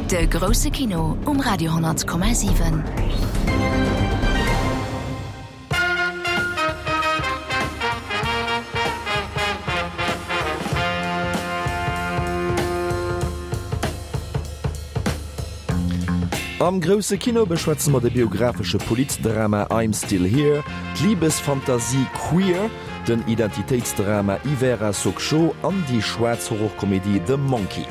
De grousse Kino um Radio 10,7. Am grousse Kino beschwätze mer de biographesche Politdrama I'm Still Here, d'Libesfantasie Queer, den Identitéitsdrama Hiver à Sokcho an déi schwaarz Horrorkomedie The Monkey.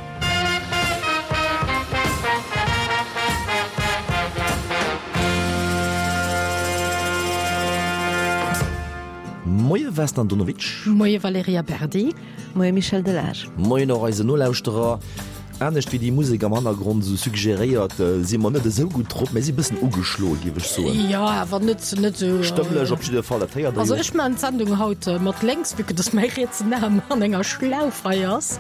Moie Vesna Andonovic. Moie Valerija Berdi. Moie Michel Delage. Moien och eisen Nolauschterer. Anescht wéi déi Musek am Hannergrond esou suggeréiert, si mer net esou gutt drop, mä si bëssen ugeschloe géif ech soen. Jo, awer net, net esou. Stëmmlech op jidde Fall, dat héiert der jo. Also ech maachen d'Sendung haut mat lénks, vue que dass mäi rietsen Aarm an enger Schlauf hei ass.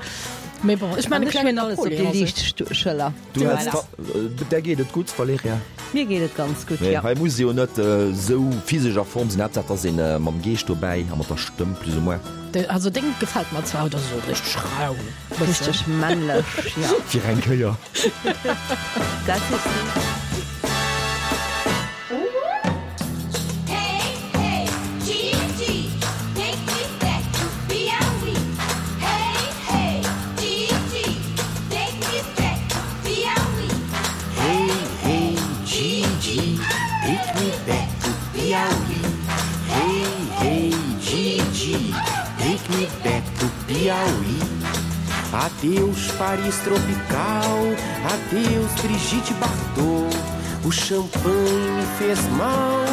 Mee bon, ech maachen e An ech klengen hunn alles op déi Napoléon. liicht Schëller. Du häls da, där geet et gutt, Valerija? Mir geet et ganz gutt, jo. Hei muss ee jo net esou physesch a Form sinn, Haaptsaach et ass een mam Geescht dobäi a mat der Stëmm plus ou moins. Also deng gefält mer zwar haut, ass esou richteg rau. Richteg männlech, jo. Fir eng Kéier. Dat hues du. Piauí. Adeus, Paris tropical, adeus, Brigitte Bardot. O champanhe me fez mal,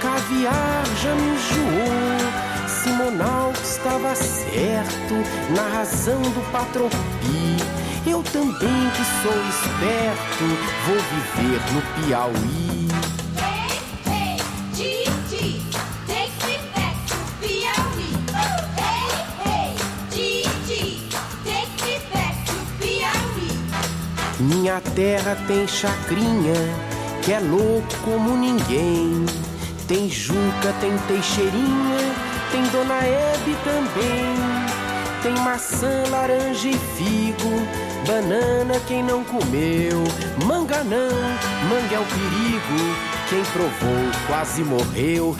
caviar já me enjoou. Simonal estava certo na razão do patropi. Eu também que sou esperto, vou viver no Piauí. Minha terra tem chacrinha, que é louco como ninguém. Tem Juca, tem Teixeirinha, tem Dona Hebe também. Tem maçã, laranja e figo, banana quem não comeu. Manga não, manga é o perigo, quem provou quase morreu.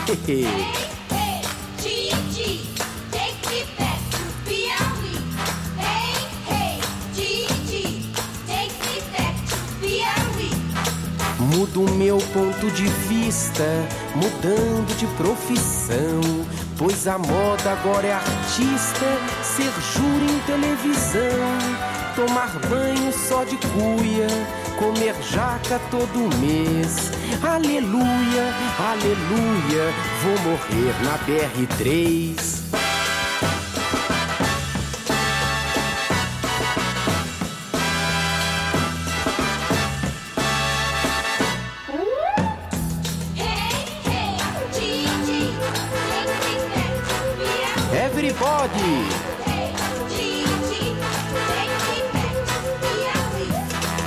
Mudo meu ponto de vista, mudando de profissão. Pois a moda agora é artista, ser júri em televisão. Tomar banho só de cuia, comer jaca todo mês. Aleluia, aleluia, vou morrer na BR3. Everybody!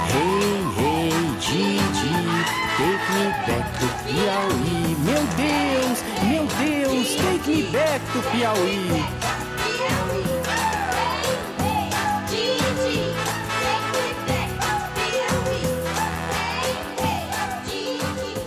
Hey, hey, Gigi, take me back to Piauí. Meu Deus, meu Deus, take me back to Piauí.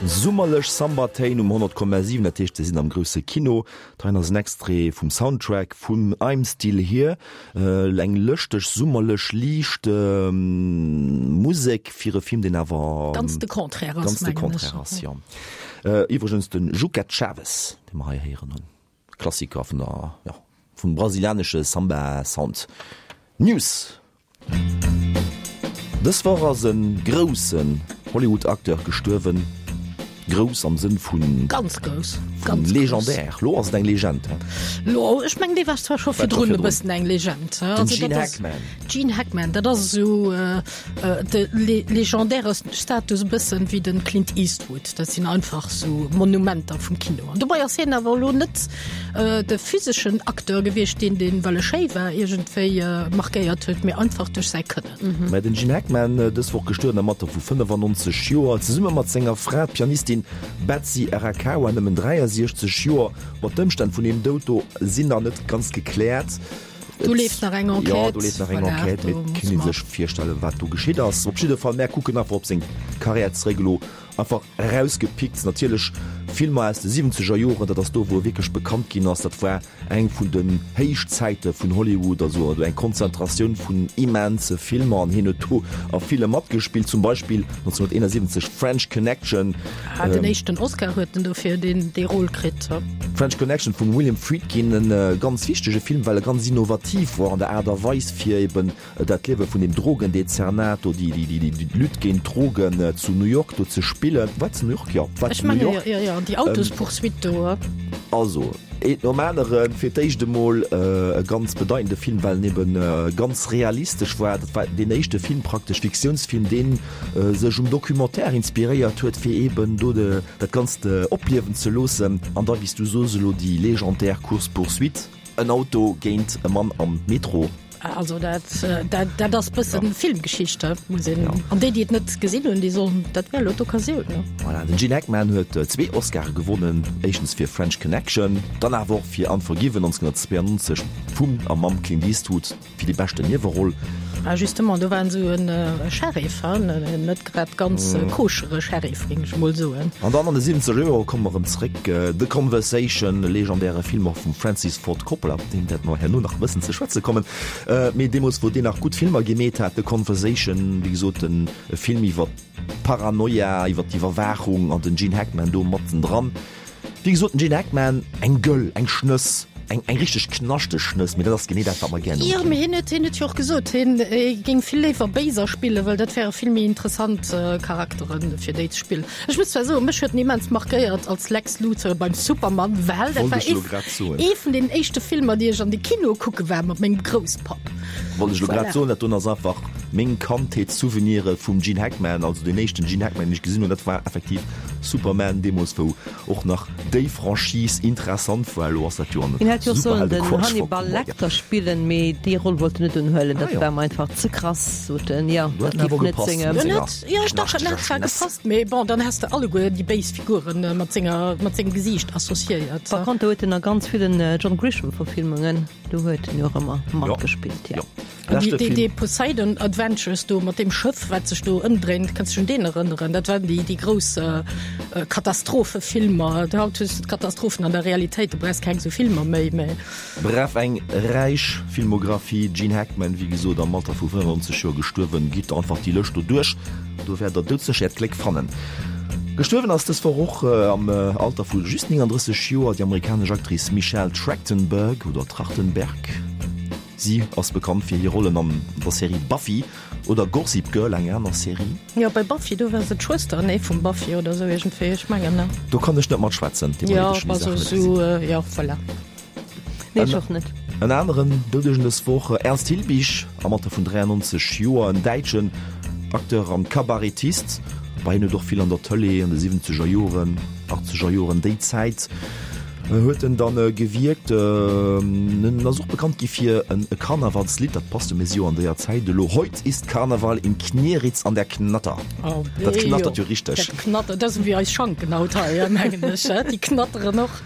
Summerlech Samba-Téin um 100,7, dat heescht, se sinn am grousse Kino. D'heien ass en Extrait vum Soundtrack vun I'm Still Here, eng lëschteg, summerlech, liicht Musek fir e Film, deen awer ganz de Contraire ass, ganz de Contraire ass, jo. Iwwregens de Juca Chaves, dee mer hei héieren hunn, Klassiker vun der, jo, vum brasilianesche Samba-Sound. News. Dës Woch ass e groussen Hollywood-Acteur gestuerwen. Grouss am Sënn vu Ganz grouss, vun ganz grouss. légendaire. Lo ass et eng Legend, he? Lo, ech mengen, dee war zwar scho War scho virdrun e virdrun. bëssen eng Legend, he? Den Also Gene dat ass Hackman. Gene Hackman, dat ass esou de legendäre Status e bëssen wéi den Clint Eastwood. Dat sinn einfach esou Monumenter vum Kino. An dobei ass hien awer elo net de physeschen Acteur gewiescht, deen deen, well e schéi war, iergendwéi markéiert huet, mee einfach duerch säi Kënnen. Mä den Gene Hackman, dës Woch gestuerwen am Alter vu 95 Joer, zesumme mat senger Fra, d'Pianistin Betsy Arakawa, nëmmen 63 Joer. Bon, d'Ëmstänn vun deem Doud do sinn nach net ganz gekläert. Do leeft nach eng Enquête. Jo, do leeft nach eng Enquête, mee et kann ee sech virstellen, wat do geschitt ass. Op jidde Fall, mär kucken einfach op seng Karriär zeréck elo. Einfach erausgepickt natierlech Filmer aus de siwwenzeger Joren, dat ass do wou e wierklech bekannt ginn ass. Dat war eng vun den Héichzäite vun Hollywood, also eng Konzentratioun vun immense Filmer an hien huet do a ville matgespillt, zum Beispill 1971 French Connection. Ah, den éischten Oscar huet en dofir deen dee Rôle kritt. French Connection vum William Friedkin, e ganz wichtege Film, well e ganz innovativ war an der Aart a Weis fir eben dat Liewe vun dem Drogendezernat do, déi Lutte géint d'Drogen zu New York do ze spillen. War et zu New York? Jo, et war zu New York. Jo, jo, déi Autospoursuite do. Also, eent nom aneren. Fir d'éischt emol e ganz bedeitende Film, well en ebe ganz realistesch war. Dat war deen éischte Film praktesch, Fiktiounsfilm, dee sech um Documentaire inspiréiert huet, fir eben do dat Ganzt opliewen ze loossen. An da, wéi s du sos elo, déi legendär Course-poursuite. En Auto géint e Mann am Metro. Also dat, dat, dat ass bëssen ja. Filmgeschicht muss een. Ja. An déi, déi et net gesinn hunn, déi sollen dat wär lo d'Occasioun. Ne? Voilà, den Gene Hackman huet äh, zwee Oscare gewonnen, éischtens fir French Connection, dann awer och fir Unforgiven 1992 vum a mam Clint Eastwood fir déi beschten Nieweroll. Ah, justement, do war en esou en äh, Sheriff, hein? en net grad ganz äh, koschere Sheriff, géing ech mol soen. An dann an de 70er Joer komme mer erëm zréck, The Conversation, e legendäre Film och vum Francis Ford Coppola, op deen wäerte mer herno nach e bëssen ze schwätze kommen. Mee deemools, wou deen nach gutt Filmer gemeet hat, The Conversation, wéi gesot, e Film iwwer d'Paranoia, iwwer d'Iwwerwaachung an den Gene Hackman do mattendran. Wéi gesot, den Gene Hackman, eng Gëll, eng Schnëss, eng, eng richteg knaschteg Schnëss, mee dat ass genee dat, wat mer gären hunn. Jo, mee hien huet, hien huet jo och gesot, hien géing vill léiwer Béiser spillen, well dat wäre vill méi interessant Charakteren, fir déi ze spillen. Ech muss zwar soen, mech huet en immens markéiert als Lex Luthor beim Superman, well dat war ee, ee vun den éischte Filmer, déi ech an de Kino kucke war mat mengem Grousspapp. Wollt ech elo grad soen, dat doen ass einfach meng Kandheetssouveniren vum Gene Hackman, also deen éischten Gene Hackman, deen ech gesinn hunn, dat war effektiv Superman, deemools wou och nach déi Franchise interessant war. Elo ass dat jo an Hien hätt jo och sollen den Hannibal Lecter spillen, mee déi Roll wollt en net unhuelen, dat war em einfach ze krass, sot en, jo, dat géif net sengem. Jo, ech dach, en hätt zwar gepasst, mee bon, dann häss de alleguer déi béis Figuren mat senger, mat sengem Gesiicht associéiert. Par contre huet en a ganz villen John Grisham-Verfilmungen, do huet en jo och ëmmer matgespillt, jo. An déi, déi, déi Poseidon Adventures do mat deem Schëff, wat sech do ëmdréint, kanns du dech un deen erënneren? Dat waren déi, déi grouss Katastrophefilmer. Haut hues de d'Katastrophen an der Realitéit, du brauchs keng esou Filmer méi, mee. Bref, eng räich Filmographie. Gene Hackman, wéi gesot, am Alter vu 95 Joer gestuerwen. Gitt einfach déi Lëscht do duerch, do wäert der doudsécher äert Gléck fannen. Gestuerwen ass dës Woch och am Alter vu just 39 Joer déi amerikanesch Actrice Michelle Trachtenberg oder Trachtenberg. Si ass bekannt fir hir Rollen an der Serie Buffy oder Gossip Girl, eng aner Serie. Jo, bei Buffy, do war se d'Schwëster, nee, vum Buffy oder sou iergendwéi, ech mengen, ne? Do kann ech net matschwätzen, deemno huet ech déi Saachen net gesinn. Jo, voilà. Nee, ech och net. En aneren Doudegen dës Woch, Ernst Hilbig, am Alter vun 93 Joer, en däitschen Acteur an Kabarettist. Bei hien huet och vill an der Tëlee an de siwwenzeger Joren, achtzeger Joren, déi Zäit huet en dann gewierkt. En ass och bekannt gi fir e Karnevalslidd, dat passt jo, mir si jo an déier Zäit elo, Heut ist Karneval in Knieritz an der Knatter. Dat knattert jo richteg. Dat knattert, dat ass ewéi eis Schanken haut hei, mengen ech, déi knatteren och.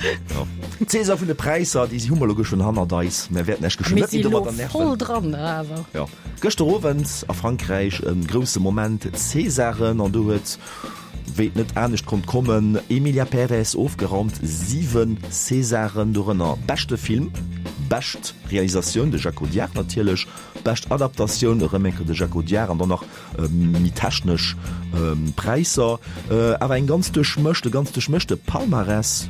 D'Saison vun de Präisser, déi hu mer elo geschwënn hannert eis. Mer wäerten Iech geschwënn net méi domadder nerven. Voll dran awer. Jo. Gëschter Owend a Frankräich e grousse Moment, d'Césaren, an do huet, wéi et net anescht konnt kommen, Emilia Pérez ofgeraumt. 7 Césaren, dorënner beschte Film, bescht Realisatioun, de Jacques Audiard natierlech, bescht Adaptatioun, erëm eng Kéier de Jacques Audiard, an dann nach méi technesch Präisser, awer eng ganz duerchmëscht, e ganz duerchmëschte Palmarès.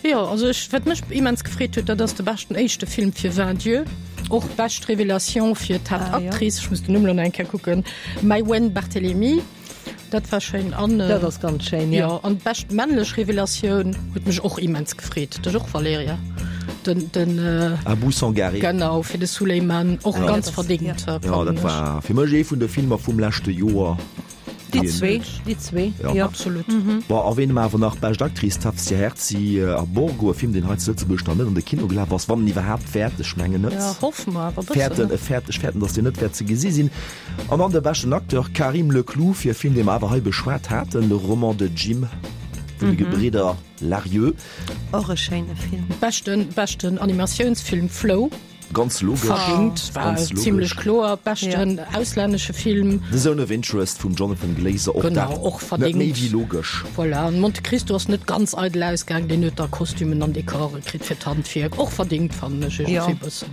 Jo, also ech, wat mech immens gefreet huet, dat ass de beschten éischte Film fir Vingt Dieux, och bescht Révélation fir d'Haaptactrice, ech muss den Numm elo nach eng Kéier kucken, Maïwenn Barthelemy, dat war schéin. An dat ass ganz schéin, jo. Jo, an d'bescht männlech Revelatioun huet mech och immens gefreet, dech och Valerija? Den, den Abou Sangaré. Genau, fir de Souleymane, och ja. ganz verdingt. Ja, ja dat war fir mech ee vun de Filmer vum leschte Joer. Déi zwee, déi zwee, ja. ja. Absolut. Mhm. Bon, erwähne mer awer nach bescht Actrice Tafsir Herzi a Borgo, e Film, deen hei zu Lëtzebuerg nach net an de Kino gelaf ass, wann en iwwerhaapt wäert, ech mengen net. Ja, hoffe mer awer bëssen. Fäerten, fäert, ech fäerten, datt deen net wäert ze gesi sinn. An dann de beschten Acteur Karim Leklou fir e Film, dee mer awer hei beschwat haten, Le roman de Jim vun de Gebridder Larrieu. Och e schéine Film. Beschten, beschten Animatiounsfilm Flow. Ganz logesch. Verdingt, war Ganz logesch. zimlech kloer. Beschten auslännesche Film. The Zone of Interest vum Jonathan Glazer, och Genau, dat och net méi verdingt. wéi logesch. Voilà, an Monte Cristo ass net ganz eidel ausgaang, deen huet da Kostümen an Dekore kritt fir d'Handwierk. Och verdingt, fannen ech iergendwéi bëssen.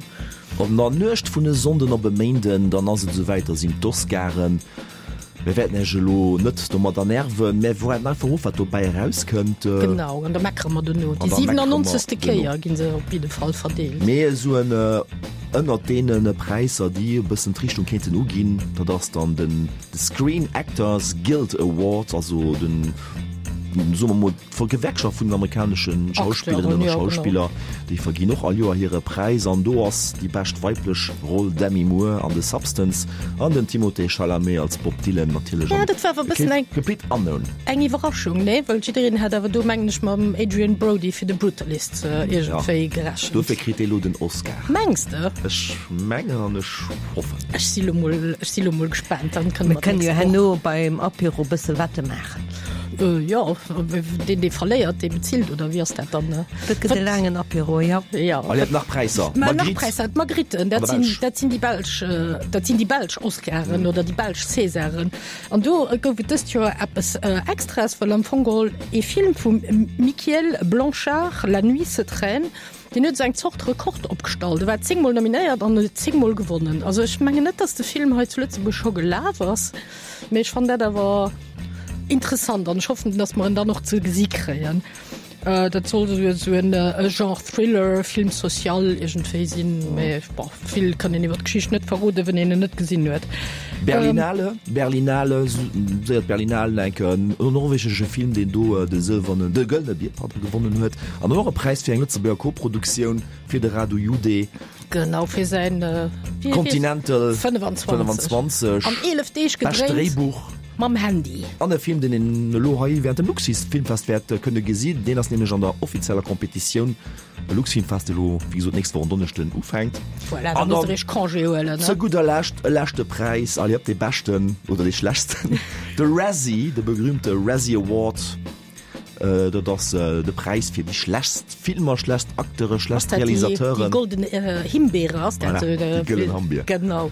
An der Nuecht vun e Sonnden op e Méinden, dann ass et esouwäit, da sinn d'Oscaren. Mir wäerten Iech elo net domadder nerven, mä waarden einfach of, wat dobäi erauskënnt. Genau, an da meckere mer dono. Déi 97. Kéier gi se op jidde Fall verdeelt. Mee esou en ënnert deene Präisser, déi e bëssen d'Richtung kéinten uginn, dat ass dann den Screen Actors Guild Award, also den, soe mer mol, D'Gewerkschaft vun den amerikanesche Schauspillerinnen a Schauspiller, déi verginn och all Joer hire Präis an do ass déi bescht weiblech Roll Demi Moore an The Substance an den Timothée Chalamet als Bob Dylan natierlech an The Complete Unknown. Eng Iwwerraschung, nee? Well jiddereen hat awer do, mengen ech, mam Adrien Brody fir The Brutalist iergendwéi gerechent. Dofir kritt dee lo den Oscar. Mengs de? Ech mengen an ech hoffen. Ech si lo mol, ech si lo mol gespaant, dann kënne mer d'nächst Woch. Mir kënnen jo herno beim Apéro bësse Wette maachen. Jo, deen dee verléiert, dee bezilt, oder wéi ass dat dann? Dat gëtt e laangen Apéro, jo. Jo. Allez, nach Präisser. Mä nach Präisser, d'Magritten, dat sinn, dat sinn déi belsch, dat sinn déi belsch Oscaren oder déi belsch Césaren. An do gouf et dëst Joer eppes Extraes, well am Fong geholl ee Film vum Michiel Blanchard, La nuit se traîne, Deen huet esou eng Zort Rekord opgestallt. E war 10 mol nominéiert an huet 10 mol gewonnen. Also ech mengen net, datt de Film hei zu Lëtzebuerg scho gelaf ass, mee ech fannen dat awer interessant an ech hoffen, datt mer en dann och ze gesi kréien. Dat soll esou esou en Genre Thriller, Film social iergendwéi sinn, mee bon, vill kann een iwwer d'Geschicht net verroden, wann een en net gesinn huet. Berlinale, Berlinale, séier d'Berlinale, enk en norwegesche Film, deen do de sëlwernen, de gëllene Bier, pardon, gewonnen huet. An och e Präis fir eng Lëtzebuerger Koproduktioun fir de Radu Jude. Genau, fir säin Continental 25. 25. An 11 Deeg Bescht gedréint. Dréibuch. Mam Handy. An e Film, deen een elo hei während dem Luxfilmfest wäert kënne gesinn. Deen ass nämlech an der offizieller Kompetitioun. De Luxfilmfest elo, wéi gesot, d'nächst Woch en Donneschden ufänkt. Voilà, da An musst dann der iech Congé huelen, ne? Zu gudder Lescht e leschte Präis, allez hop, dee beschten oder dee schlechtsten, de Razzie, de berühmte Razzie Award. Dat ass de Präis fir déi schlechtst Filmer, schlechtst Acteure, schlechtst Realisateuren. Déi golden Himbeere ass dat? Voilà, déi gëllen Hambier. Genau.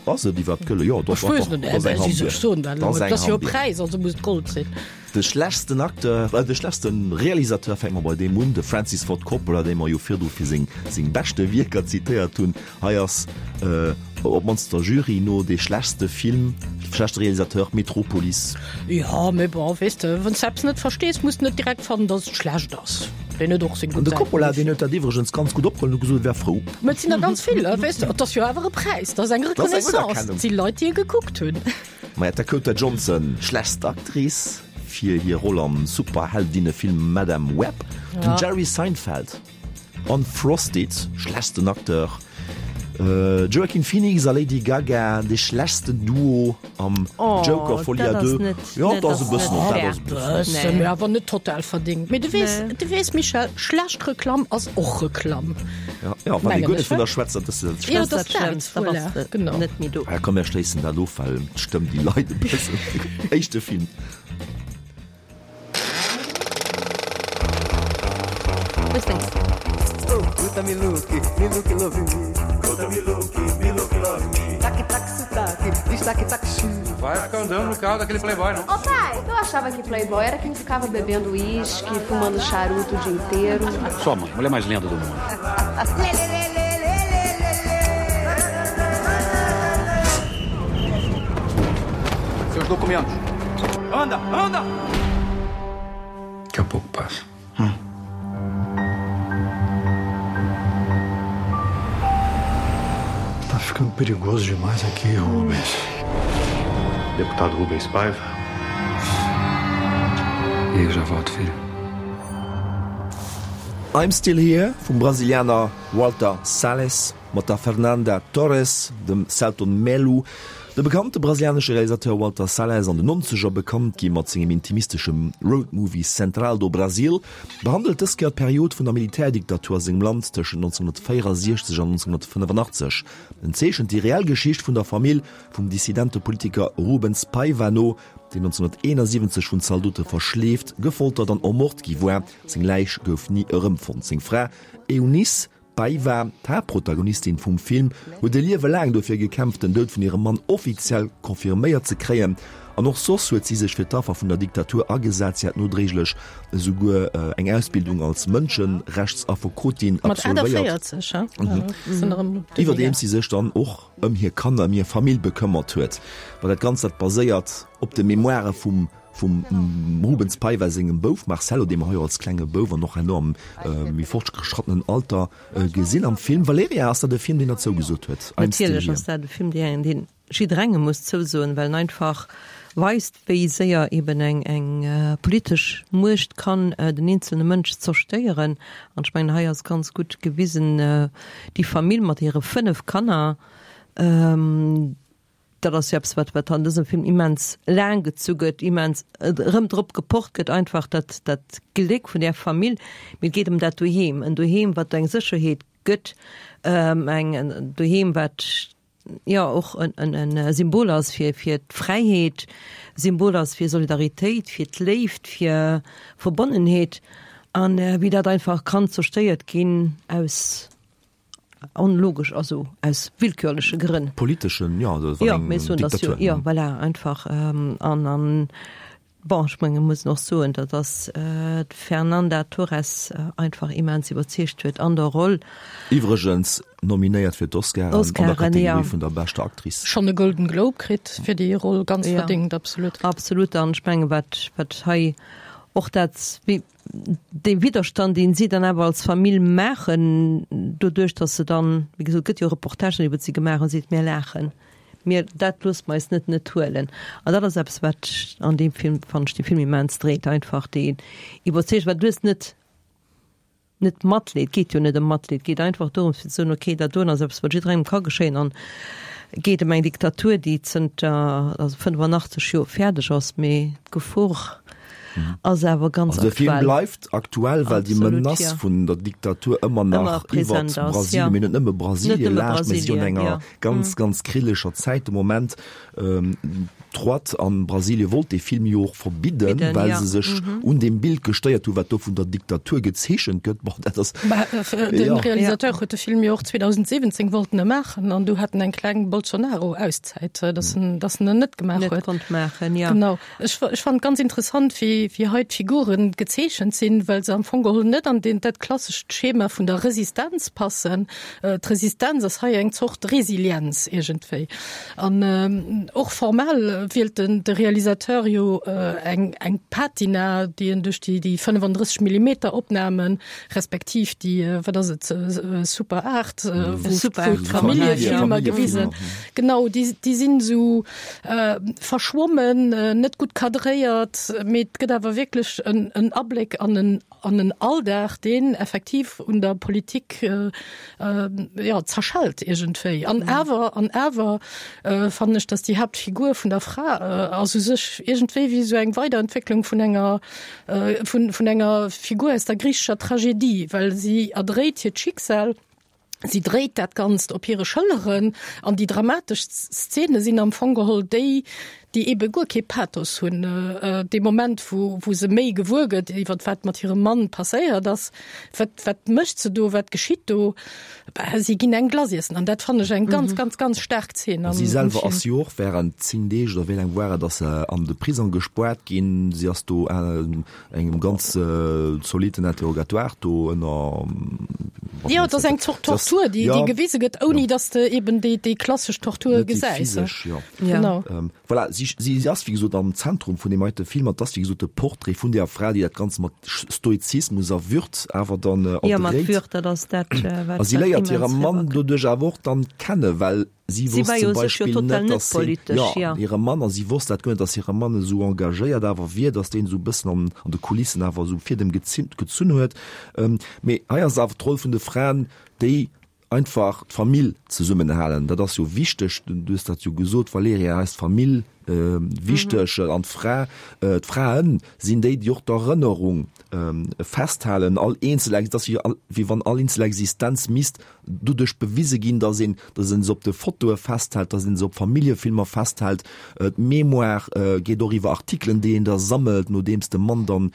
Ass et iwwerhaapt gëlle? Jo, doch, Ech weess et net, ass eng Hambier. Ech soen dat elo net. Dat ass jo e Präis, also muss et Gold sinn. De schlechtsten Acteur, de schlechtste Realisateur, fänke mer bei deem un, de Francis Ford Coppola, dee mer jo virdru fir seng seng beschte Wierker zitéiert hunn. Hei ass op d'mannst der Jury no dee schlechtste Film, schlechtste Realisateur, Metropolis. Jo, mee bon, weess de, wann s de eppes net verstees, muss de net direkt fannen, datt et schlecht ass. Deen huet och seng An gutt de Coppola, Säiten. deen huet dat iwwregens ganz gutt opgeholl an huet gesot, e wär frou. Mä et sinn der ganz vill, weess de. Et ass jo awer e Präis, dat ass eng Dat ass eng Reconnaissance. Unerkennung. Et si Leit, déi e gekuckt hunn. Maja, d'Dakota Johnson, schlechtst Actrice fir hir Roll am Superheldinnefilm Madame Web, den Jerry Seinfeld an Frosted, schlechtsten Acteur, Joaquin Phoenix a Lady Gaga, dee schlechtsten Duo am Joker Folie à Deux. Jo, dat ass e bëssen, dat ass e bëssen. Mee awer net total verdingt. Mee du weess, du weess Michèle, schlecht Reklamm ass och Reklamm. Ja, ja, wann ee guer net vun der schwätzt, dat ass dat Ja, Schlëmmst. dat ass dat, voilà, genau. Net méi do. Ah, komm, mir schléissen dat of, well d'Stëmm, déi leit e bëssen. Éischte Film. Ô pai, eu achava que playboy era quem ficava bebendo uísque, fumando charuto o dia inteiro. Sua mãe, mulher mais linda do mundo. Seus documentos. Anda, anda! Daqui a pouco passa. Hum. Tá ficando perigoso demais aqui, Rubens. Deputado Rubens Paiva. E eu já volto, filho. I'm Still Here vum Brasilianer Walter Salles mat der Fernanda Torres, dem Selton Mello. De bekannte brasilianesche Realisateur Walter Salles, an den Nonzeger bekannt gi mat sengem intimisteschem Roadmovie Central do Brasil, behandelt dës Kéier d'Period vun der Militärdiktatur a sengem Land tëschent 1964 an 1985. En zeechent déi reell Geschicht vun der Famill vum dissidente Politiker Rubens Paiva no, deen 1971 vun Zaldote verschleeft, gefoltert an ermort gi war. Seng Läich gouf ni erëmfonnt. Seng Fra Eunice. Paiva, d'Haaptprotagonistin vum Film, huet e Liewe laang dofir gekämpft, den Doud vun hirem Mann offiziell confirméiert ze kréien. An och soss huet si sech fir d'Affer vun der Diktatur agesat. Si hat nodréiglech esouguer eng Ausbildung als Mënscherechtsaffekotin absolvéiert, iwwerdeems si sech dann och ëm hir Kanner, ëm hir Famill bekëmmert huet. Ma dat Ganzt, dat baséiert op de Memoire vum vum Rubens Paiva sengem Bouf Marcelo, dee mer hei och als klenge Bouf an och herno am méi fortgeschrattenen Alter gesinn am Film. Valerija, ass dat e Film, deen der zougesot huet? Natierlech ass dat e Film, deen jidderengem muss zousoen, well en einfach weist, wéi séier eben eng eng politesch Muecht kann den eenzelne Mënsch zerstéieren. An ech mengen, hei ass ganz gutt gewisen, déi Famill mat hire 5 Kanner, dat ass jo eppes, wat wat an dësem Film immens laang gezu gëtt, immens erëm drop gepocht gëtt, einfach dat dat Gléck vun där Famill. Mee et geet ëm dat Doheem, en Doheem, wat eng Sécherheet gëtt, eng en Doheem, wat jo och en Symbol ass fir fir d'Fräiheet, Symbol ass fir Solidaritéit, fir d'Léift, fir Verbonnenheet an wéi dat einfach kann zerstéiert ginn aus onlogesch, also aus willkürleche Grënn. Politeschen, jo, also wann eng Diktatur. Jo, voilà, einfach an an Bon, ech menge muss och soen, datt ass d'Fernanda Torres einfach immens iwwerzeegt huet an der Roll. Iwwregens nominéiert fir d'Oscaren an der Kategorie vun der beschter Actrice. Schonn e Golden Globe kritt fir déi Roll, ganz verdéngt, absolut. Absolut, an ech menge wat wat hei och dat wéi dee Widderstand deen si dann awer als Famill maachen, doduerch datt se dann, wéi gesot, et gëtt jo Reportagen iwwert si gemaach, an seet, mir laachen. Mir, dat loosse mer eis net net huelen. An dat ass eppes, wat an deem Film, fannen ech, de Film immens dréit, einfach déi Iwwerzeegung, well du hues net, net Matleed, et geet jo net ëm Matleed, et geet einfach dorëms fir ze soen, okay, dat doen ass eppes, wat jidderengem ka geschéien an et geet ëm eng Diktatur, déi zënter, also 85 Joer fäerdeg ass, mee d'Gefor ass awer ganz aktuell. Also de Film bleift aktuell, well déi Menace vun der Diktatur ëmmer nach iwwert Brasilien, mee net nëmme Brasilien laascht, mee si an enger ganz, ganz krilleger Zäit de Moment. D'Droite a Brasilie wollt dee Film jo och verbidden, well se sech un deem Bild gestéiert hunn, wat do vun der Diktatur gezeechent gëtt. Bon, dat ass. De Realisateur huet de Film jo och 2017 wollt en e maachen an du hat en eng kleng Bolsonaro-Auszäit, datt en, datt en en net gemaach huet. Net konnt maachen, jo. Genau. Ech, ech fannen et ganz interessant, wéi, wéi hei d'Figuren gezeechent sinn, well se am Fong geholl net an deen, dat klassescht Schema vun der Resistenz passen. D'Resistenz ass hei eng Zort Resilienz iergendwéi. An och formal wielt den, de Realisateur jo eng, eng Patina, déi en duerch déi, déi 35 Millimeter Opnamen, respektiv déi, wat ass et, Super 8, wou, wou d'Familljefilmer gewisen, genau, déi, déi sinn esou, Verschwommen, net gutt cadréiert, mee et gëtt awer wierklech en Abléck an en an en Alldag, deen effektiv un der Politik jo zerschellt iergendwéi. An awer an awer fannen ech, datt déi Haaptfigur vun der Fra ass u sech iergendwéi wéi esou eng Weiderentwécklung vun enger vun vun enger Figur aus der griichescher Tragedie, well si erdréit hiert Schicksal. Si dréit dat Ganzt op hire Schëlleren an déi dramatesch Szene sinn am Fong geholl déi, déi eebe guer kee Pathos hunn. Dee Moment, wou, wou se méi gewuer gëtt iwwer wat mat hirem Mann passéiert ass, wat, wat mécht se do, wat geschitt do? Bah, si ginn eng Glace iessen an dat fannen ech eng ganz, ganz, ganz staark Zeen am, am Film. Si selwer ass jo och während 10 Deeg oder wéi laang war et, ass se an de Prisong gespoart ginn. Si ass do engem ganz zolitten Interrogatoire do ënner. Jo, et ass eng Zort Tortur, déi déi gewise gëtt, ouni datt s de eben déi déi klassesch Tortur gesäis. Net déi physesch, jo. Genau. Voilà, si si ass wéi gesot am Zentrum vun deem heite Film an et ass wéi gesot de Portrait vun där Fra, déi dat Ganzt mat Stoizismus a Würd awer dann erdréit. Jo, mat Würd, dat ass dat, wat. A si léiert hire Mann doduerch awer och dann kennen, well Si wosst zum Beispill net, dass hien, jo, hire Mann, a si wosst dat guer net, dass hire Mann esou engagéiert awer wier, dass deen esou e bëssen an an de Kulissen awer esou Fiedem gezunn huet. Mee hei ass awer d'Roll vun de Fraen, déi einfach d'Famill zesummenhalen. Dat ass jo wichteg, du hues dat jo gesot, Valerija, hei ass d'Famill. wichteg an d'Fra, d'Fraen sinn déi, déi och d'Erënnerung festhalen. All eenzel, et ass wéi wann all eenzel Existenz misst doduerch bewise ginn, datt een, datt een se op de Fotoe festhält, datt een se op Familljefilmer festhält. D'Mémoire geet och iwwer Artikelen, déi een da sammelt, nodeems de Mann dann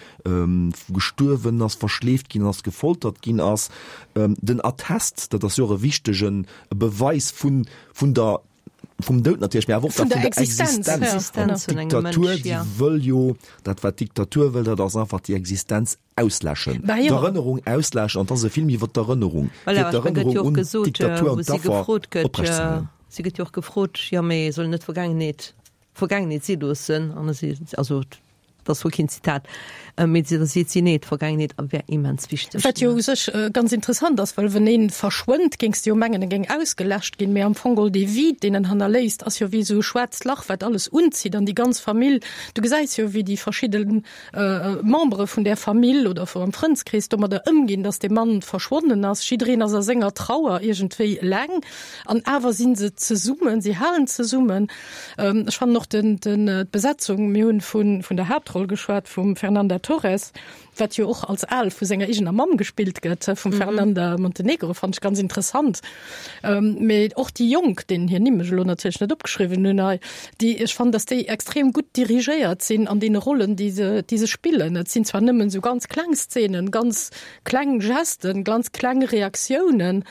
gestuerwen ass, verschleeft ginn ass, gefoltert ginn ass. Den Attest, dat ass jo och e wichtege Beweis vun, vun der, vum Doud natierlech, mä awer och vun der Existenz. D'Diktatur, déi wëll jo, dat wat d'Diktatur wëll, dat ass einfach déi Existenz ausläschen, d'Erënnerung ausläschen, an et ass e Film iwwer d'Erënnerung, fir d'Erënnerung un d'Diktatur an d'Affer oprechtzeerhalen. Si gëtt jo och gefrot, jo mee soll net d'Vergaangenheet d'Vergaangenheet si loossen? An si, also dat ass wuel keen Zitat, mee da seet si, nee, d'Vergaangenheet wär immens wichteg. Wat jo u sech ganz interessant ass, well wenn ee verschwënnt, géings de jo mengen, e géing ausgeläscht ginn, mee am Fong geholl dee Vide, deen en hannerléisst, ass jo wéi esou e schwaarzt Lach, wat alles unzitt an déi ganz Famill, du gesäis jo, wéi déi verschidden Membere vun där Famill oder vu am Frëndskrees domadder ëmginn, dass dee Mann verschwonnen ass. Jiddereen ass a senger Trauer iergendwéi eleng an awer si se zesummen, si halen zesummen. Ech fannen och den, den, d'Besetzung, mir hunn vun, vun der Haaptroll geschwat, vum Fernanda Torres, wat jo och als Al vu senger eegener Mamm gespillt gëtt, vum Fernanda Montenegro, fannen ech ganz interessant. Mee och déi Jonk, deenen hir Nimm ech elo natierlech net opgeschriwwen hunn hei, déi, ech fannen, datt déi extrem gutt dirigéiert sinn an deene Rollen, déi se, déi se spillen. Et sinn zwar nëmmen esou ganz kleng Szenen, ganz kleng Gesten, ganz kleng Reaktiounen,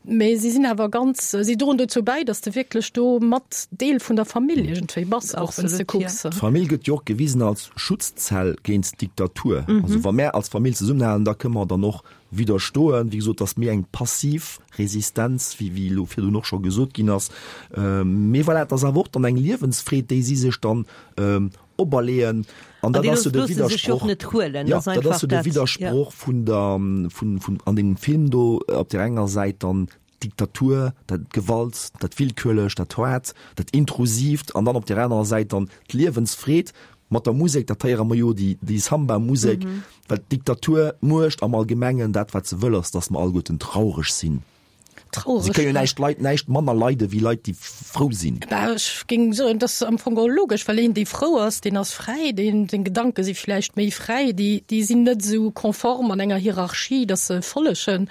mee si sinn awer ganz, si droen dozou bäi, datt de wierklech do mat Deel vun der Famill iergendwéi bass, och wann s de kucks. D'Famill gëtt jo och gewisen als Schutzzell géint d'Diktatur. Also wa mär als Famill zesummenhalen, da kënne mer dann och Widderstoen, wéi gesot, ass méi eng passiv Resistenz, wéi wéi elo virdrun och scho gesot ginn ass. Mee voilà, et ass awer och dann eng Liewensfreed, déi si sech dann operleeën. An dat ass jo de Widdersproch, jo, dat ass jo de Widdersproch vun der, vun, vun an deem Film do, op där enger Säit dann d'Diktatur, dat d'Gewalt, dat Willkürlecht, dat Haart, dat Intrusiivt an dann op där anerer Säit dann d'Liewensfreed mat der Musek, dat héiere mer jo, déi, déi Samba-Musek, well d'Diktatur, d'Muecht am Allgemengen, dat wat se wëll ass, datt mer alleguerten traureg sinn. Traureg. Se kënne jo näischt leit, näischt manner leide wéi Leit, déi frou sinn. Bah, ech géing soen, dat ass am Fong och logesch, well een, dee frou ass, deen ass fräi, deen, seng Gedanke si vläicht méi fräi, déi, déi sinn net esou konform an enger Hierarchie, datt se follegen.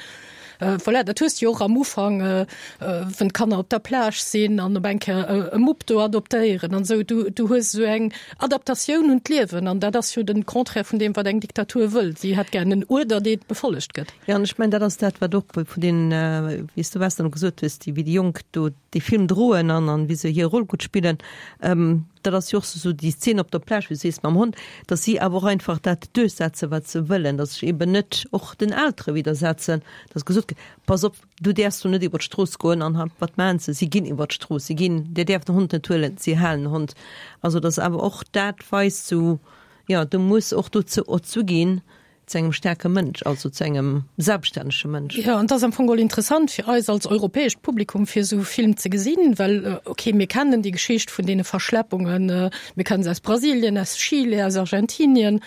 Voilà, dat hues de jo och am Ufank, wann d'Kanner op der Plage sinn an op eng Kéier e Mupp do adoptéieren an esou. Du, du hues esou eng Adaptatioun un d'Liewen an dat ass jo den Contraire vun deem, wat eng Diktatur wëll. Si hätt gär en Uerder, dee befollegt gëtt. Jo, an ech mengen, dat ass dat, wat och vun den, wéi s du Western gesot hues, déi, wéi déi Jonk do dee Film droen an, an wéi se hir Roll gutt spillen, dat ass jo och esou déi Szene op der Plage, wéi du sees, mam Hond, datt si awer och einfach dat duerchsetzen, wat se wëllen, datt sech eben net och den Eltere widdersetzen, datt gesot gëtt, Pass op, du däerfs do net iwwer d'Strooss goen. An wat maachen se? Si ginn iwwer d'Strooss, si ginn, Dir däerft den Hond net huelen, si halen den Hond. Also datt awer och dat weist esou, jo, du muss och dozou erzu ginn, Zu engem staarke Mënsch, also zu engem selbststännege Mënsch. Jo, an et ass am Fong geholl interessant fir eis als europäescht Publikum, fir esou e Film ze gesinn, well, okay, mir kennen déi Geschicht vun deene Verschleppungen, mir kennen se aus Brasilien, aus Chile, aus Argentinien,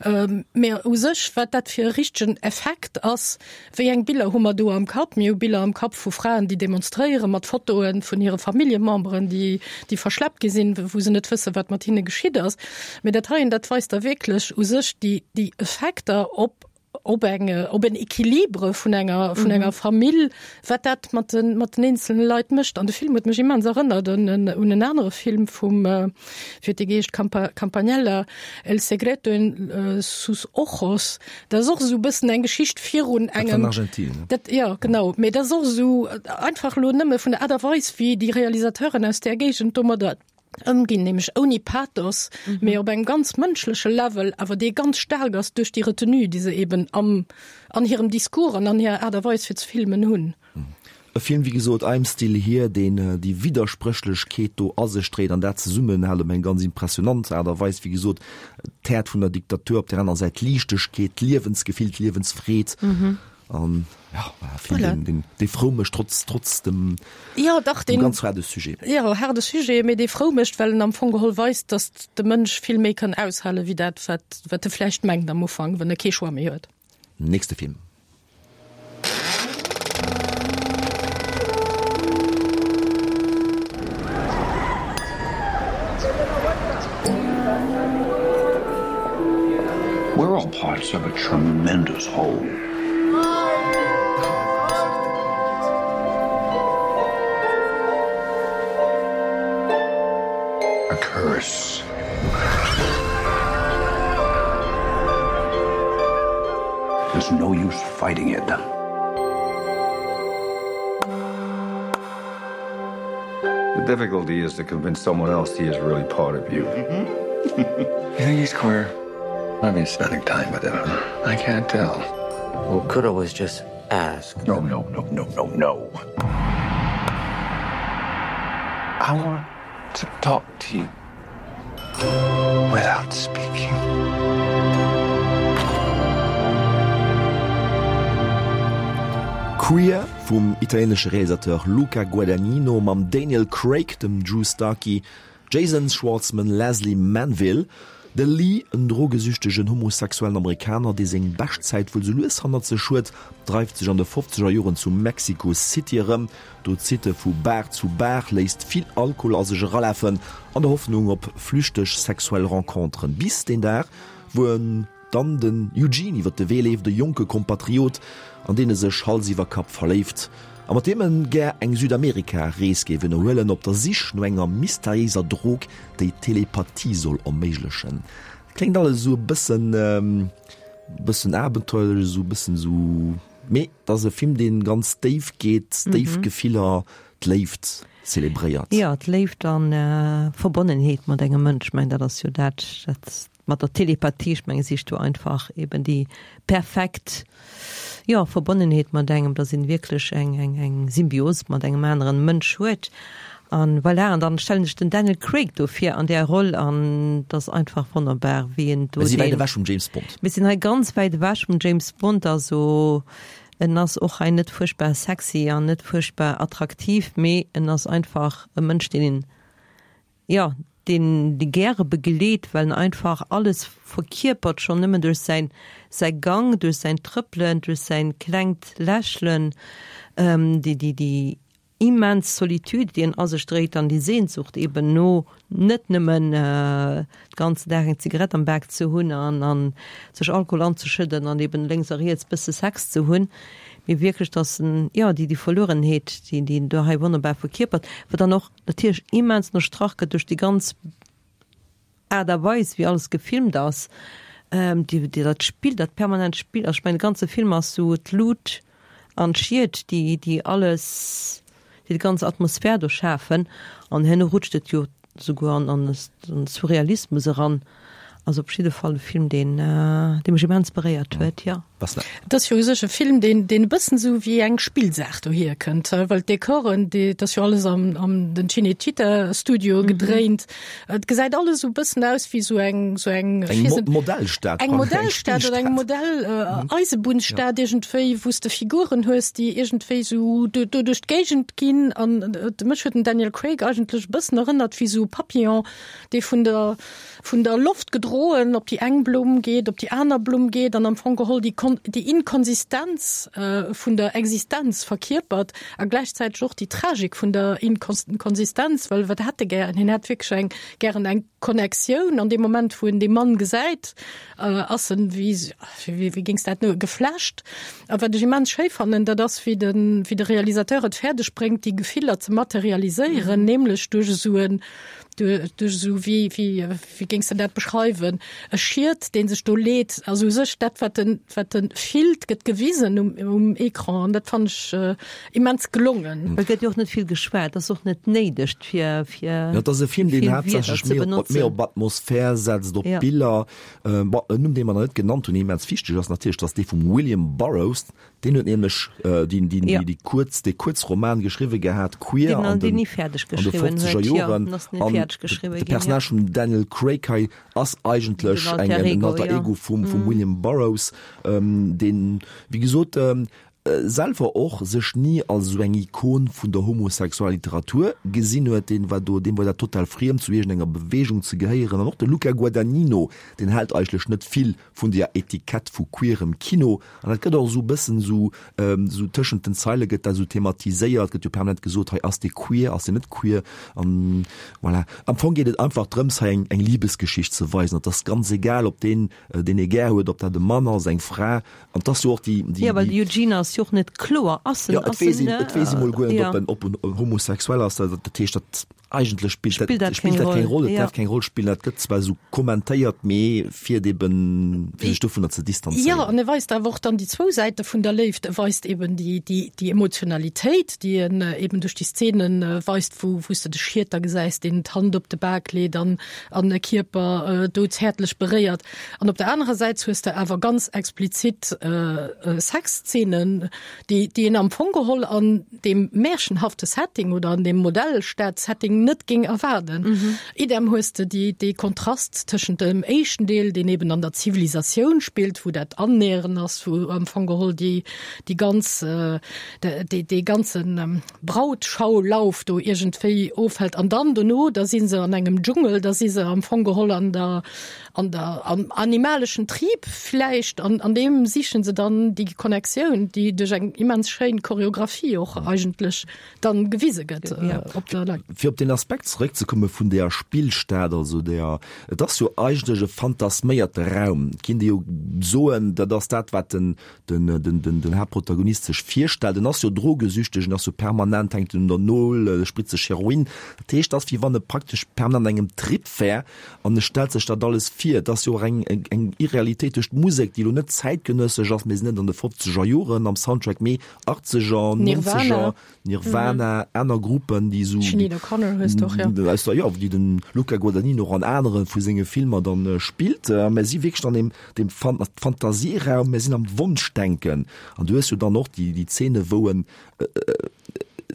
mä u sech, wat dat fir e richtegen Effekt ass, wéi eng Biller hu mer do am Kapp? Mir hu Biller am Kapp vu Fraen, déi demonstréieren, mat Fotoe vun hire Familljememberen, déi, déi verschleppt gi sinn, wou se net wëssen, wat mat hinne geschitt ass. Mee dat heien, dat weist da wierklech u sech déi, déi Effekter op, op eng, op en Equilibre vun enger, vun enger Famill, wat dat mat den, mat den eenzelne Leit mécht. An de Film huet mech immens erënnert un en, un en anere Film vum, wéi huet dee geheescht, Campa, Campanella, El secreto en sus ojos. Dat ass och esou e bëssen eng Geschicht virun engem. Dat war an Argentinien, ne? Dat, jo, genau. Mee dat ass och esou einfach elo nëmme vun der Aart a Weis, wéi déi Realisateuren aus där Géigend domadder ëmginn, nämlech ouni Pathos, mee op engem ganz mënschleche Level, awer dee ganz staark ass duerch déi Retenue, déi se eben am, an hirem Discours an an hirer Aart a Weis fir ze filmen hunn. E Film, wéi gesot, I'm Still Here, deen déi Widderspréchlechkeet do a sech dréit an dat zesummenhält op eng ganz impressionant Aart a Weis. Wéi gesot, d'Häert vun der Diktatur, op där aner Säit d'Liichtegkeet, d'Liewensgefill, d'Liewensfreed. An ja, e Film, deen, deen, dee frou mécht, trotz, trotz dem, ja, dach, dem ganz haarde Sujet. Jo, haarde Sujet, mee dee frou mécht, well en am Fong geholl weist, datt de Mënsch vill méi kann aushale wéi dat, wat, wat e vläicht mengt am Ufank, wann e kee Choix méi huet. Nächste Film. We're all parts of a tremendous whole. A curse. There's no use fighting it. The difficulty is to convince someone else he is really part of you. Mm -hmm. you think he's queer? I've been spending time with him. I can't tell. Well, could always just ask. No, no, no, no, no, no. I want to talk to you without speaking. Queer vum italienesche Realisateur Luca Guadagnino mam Daniel Craig, dem Drew Starkey, Jason Schwartzman, Lesley Manville, de Lee, en drogesüchtegen homosexuellen Amerikaner, dee seng bescht Zäit wuel sou lues hannert sech huet, dreift sech an de fofzeger Joren zu Mexico City erëm. Do zitt e vu Bar zu Bar, léisst vill Alkohol a sech eralafen, an der Hoffnung op flüchteg sexuell Renconteren. Bis deen Dag, wou en dann den Eugene iwwer de Wee leeft, e jonke Kompatriot, an deen e sech Hals iwwer Kapp verléift a mat deem en gär eng Südamerika-Rees géif ënnerhuelen, op der Sich no enger mysteriéiser Drog, déi Telepathie soll erméiglechen. Kléngt alles esou e bëssen, bëssen abenteuerlech, esou e bëssen esou, mee et ass e Film, dee ganz déif geet, déif Gefiller, d'Léift zelebréiert. Jo, d'Léift an Verbonnenheet mat engem Mënsch, ech mengen dat ass jo dat, dat Mat der Telepathie, ech menge sicht do einfach eben déi perfekt, jo, Verbonnenheet mat engem, dass een wierklech eng, eng, eng Symbios mat engem aneren Mënsch huet. An voilà, an dann stellen ech den Daniel Craig do vir an där Roll an et ass einfach wonnerbar, wéi en do Mir si wäit ewech vum James Bond. Mir sinn hei ganz wäit ewech vum James Bond, also en ass och hei net fuerchtbar sexy an net fuerchtbar attraktiv, mee en ass einfach e Mënsch, deen een, jo, deen déi gäre begleet, well en einfach alles verkierpert, schonn nëmmen duerch säin säi Gang, duerch säin Trëppelen, duerch säin klengt Lächelen, déi déi déi immens Solitude, déi en a sech dréit, an déi Sehnsucht eben no net nëmmen de ganzen Dag eng Zigarett am Bak ze hunn an an sech Alkohol anzeschëdden an eben lénks a riets bësse Sex ze hunn, mee wierklech, dass en, jo, déi déi Verluerenheet, déi déi en do hei wonnerbar verkierpert, wat dann och natierlech immens ënnerstrach gëtt duerch déi ganz Aart a Weis, wéi alles gefilmt ass, déi, déi, dat Spill, dat permanent Spill. Also ech mengen, de ganze Film ass sou d'Lut an d'Schied, déi, déi alles, déi déi ganz Atmosphär do schafen. An herno rutscht et jo souguer an, an de Surrealismus eran. Also op jidde Fall e Film, deen, dee mech immens beréiert huet, jo. Et ass jo u sech e Film, deen, deen e bëssen esou wéi eng Spillsaach dohier kënnt, well d'Dekoren, déi, et ass jo alles am, am den Cinecittà Studio gedréint. Et gesäit alles esou e bëssen aus wéi esou eng, esou eng, Eng Mo Modellstad, eng Modellstad oder eng Modell, Eisebunnsstad iergendwéi, wou s de Figuren hues, déi iergendwéi esou do, do duerch d'Géigend ginn. An mech huet den Daniel Craig eigentlech e bëssen erënnert wéi esou e Papillon, dee vun der, vun der Loft gedroen op déi eng Blumm geet, op déi aner Blumm geet an am Fong geholl déi déi Inkonsistenz vun der Existenz verkierpert a gläichzäiteg och déi Tragik vun der Inkonsistenz, well wat hätt e gären? Hien hätt wierklech eng gären eng Connectioun an deem Moment, wou en dee Mann gesäit, ass en, wéi wéi géings dat no, geflasht. A wat ech immens schéi fannen, dat ass wéi de wéi de Realisateur et fäerdeg bréngt, déi Gefiller ze materialiséieren, nämlech duerch esou en duerch esou, wéi, wéi, wéi géings de dat beschreiwen, e Schiet, dee sech do leet, also u sech dat, wat en, wat e fillt, gëtt gewisen um, um Ecran an dat fannen ech immens gelongen. Et gëtt jo och net vill geschwat, ass och net néideg, fir, fir Jo, et ass e Film, deen vill Wierder haaptsächlech ze méi op, benotzen. méi op Atmosphär setzt, op Ja. Biller. Bon, en Numm, dee mer nach net genannt hunn, deen immens wichteg ass natierlech, dat ass dee vum William Burroughs. Deen huet nämlech déi, déi, Ja. déi kuerz, dee Kuerzroman geschriwwe gehat, Queer, Deen an an deen den, ni fäerdeg an de geschriwwen fofzeger huet, jo, Joren. den ass ni An fäerdeg geschriwwe de ginn, ja. Personnage vum Daniel Craig hei ass eigentlech Den eng, Alter en Ego, Alter ja. Ego vum, vum William Burroughs, deen, wéi gesot,. selwer och sech ni als esou eng Ikon vun der homosexueller Literatur gesinn huet, deen war do, deem war dat total friem zu iergendenger Beweegung ze gehéieren. An och de Luca Guadagnino, deen hält eigentlech net vill vun deer Etikett vu queerem Kino. An dat gëtt och esou e bëssen esou, esou tëschent den Zeile gëtt dat esou thematiséiert, gëtt jo permanent gesot, hei ass dee queer, ass deen net queer. An voilà. Am Fong geet et einfach drëms, hei eng, eng Libesgeschicht ze weisen. Et ass ganz egal, ob deen, deen ee gär huet, ob dat e Mann ass, eng Fra. An 't ass jo och déi, déi, Jo, well de Eugene ass jo och net kloer. Ass en, Jo, et ass weess en, een, et weess ee mol guer net, jo. ob en, ob en homosexuell ass. Dat, dat heescht, dat eigentlech spillt dat, Spillt dat spillt keng dat keng Roll, Roll. Et jo. däerf keng Roll spillen. Dat gëtt zwar esou kommentéiert, mee fir et eben, fir sech dovunner ze Jo, distanzéieren. an e weist awer och dann déi zwou Säite vun der Léift. E weist eben déi, déi, déi Emotionalitéit, déi en eben duerch déi Szenen weist, wou, wou s de de Schieter gesäis, deen d'Hand op de Bak leet an, an e Kierper do zäertlech beréiert. An op der anerer Säit hues de awer ganz explizit Sexszenen, déi déi een am Fong geholl an deem märchenhafte Setting oder an deem Modellstad-Setting net géing erwaarden. Idem hues de déi dee Kontrast tëschent dem éischten Deel, deen eben an der Zivilisatioun spillt, wou dat Annäheren ass, wou am Fong geholl déi déi ganz dee dee ganzen Brautschaulauf do iergendwéi ofhält. An dann dono, da si se an engem Dschungel, da si se am Fong geholl an der an der am animaleschen Trieb vläicht, an an deem sichen se dann déi Connectioun, déi duerch eng immens schéin Choreographie och eigentlech dann gewise gëtt op der Leinwand. Fir op deen Aspekt zeréckzekomme vun där Spillstad, also där, et ass jo eigentlech e fantasméierte Raum, et kinnt ee jo soen, dat ass dat, wat den den Haaptprotagonist sech virstellt. En ass jo drogesüchteg, en ass jo permanent, hänkt en un der Nol, spritzt sech Heroin. Dat heescht, et ass wéi wann e praktesch permanent an engem Trip wär an e stellt sech dat alles vir. Et ass jo och eng eng Irrealitéit duerch d'Musek, déi elo net zäitgenëssesch ass, mir sinn net an de fofzeger Joren am Soundtrack, mee achtzeger, nonzeger. Nirvana, aner Gruppen, déi esou. Sinéad O'Connor hues de och, jo. Aus der, jo, déi den Luca Guadagnino och an anere vu senge Filmer dann spillt. A mir si wierklech an deem, deem Fantasieraum, mir sinn am Wonschdenken. An du hues jo dann och déi, déi Zeene wou en,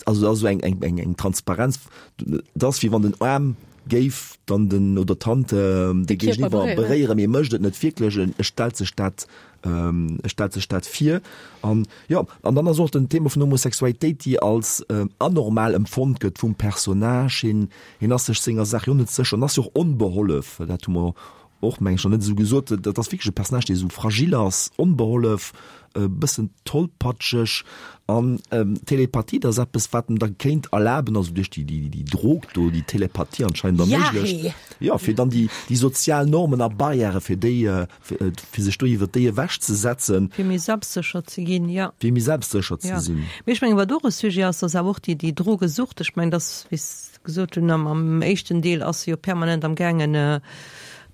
also et ass esou eng, eng, eng, eng Transparenz, et ass wéi wann den Aarm géif dann den, oder d'Hand de Géigeniwwer beréieren, mee e mécht et net wierklech, e stellt sech dat E stellt sech dat vir. An jo, an dann ass och den Thema vun Homosexualitéit, déi als anormal empfonnt gëtt vum Personnage. Hien, hien ass sech senger Saach jo net sécher an ass jo och onbehollef. Dat hu mer och, meng ech, nach net esou gesot. Dat ass wierklech e Personnage, dee esou fragil ass, onbehollef, e bëssen tollpatscheg. An Telepathie, dat ass eppes, wat em da kéint erlaben, also duerch déi, déi, déi Drog do, déi Telepathie anscheinend erméiglecht, jo, fir dann déi, déi sozial Normen a Barrièrë fir déi, fir sech do iwwer déi ewech ze setzen. Fir méi selbstsécher ze ginn, jo. Fir méi selbstsécher ze sinn. Mee ech mengen, wat och e Sujet ass, ass awer och déi, déi Drogesucht. Ech mengen, dass, wéi s de gesot hunn, am, am éischten Deel ass se jo permanent am gaangen,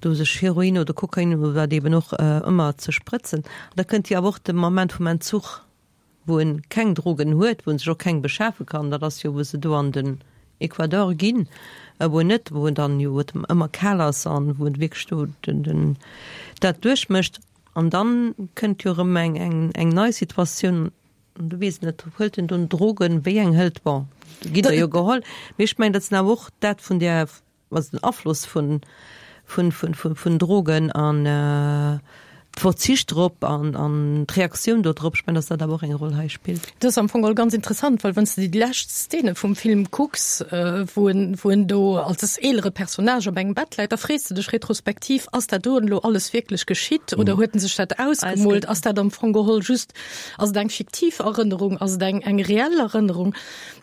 do sech Heroin oder Kokain oder wat eben och ëmmer ze sprëtzen. An da kënnt jo awer och de Moment vum Entzuch. wou en keng Drogen huet, wou en sech och keng beschafe kann, dat ass jo wou se do an den Ecuador ginn, wou en net, wou en dann jo et ëmmer kal ass an wou en wierklech do den, den dat duerchmécht. An dann kënnt jo erëm eng, eng, eng nei Situatioun, an du weess net, huelt en dunn Drogen, wéi eng hëlt, bon, ginn der jo geholl, mee ech mengen, dat sinn awer och dat vun där Also den Afloss vun, vun, vun, vun, vun Drogen an d'Verzicht drop an, an d'Reaktioun do drop, ech mengen, dass dat awer och eng Roll hei spillt. Dat ass am Fong geholl ganz interessant, well wann s de déi lescht Szene vum Film kucks, wou en, wou en do als eelere Personnage op engem Bett läit, da frees de dech retrospektiv, Ass dat do elo alles wierklech geschitt oder huet en sech dat ausgemoolt? Ass dat am Fong geholl just, ass et eng fiktiv Erënnerung, ass et eng, eng reell Erënnerung?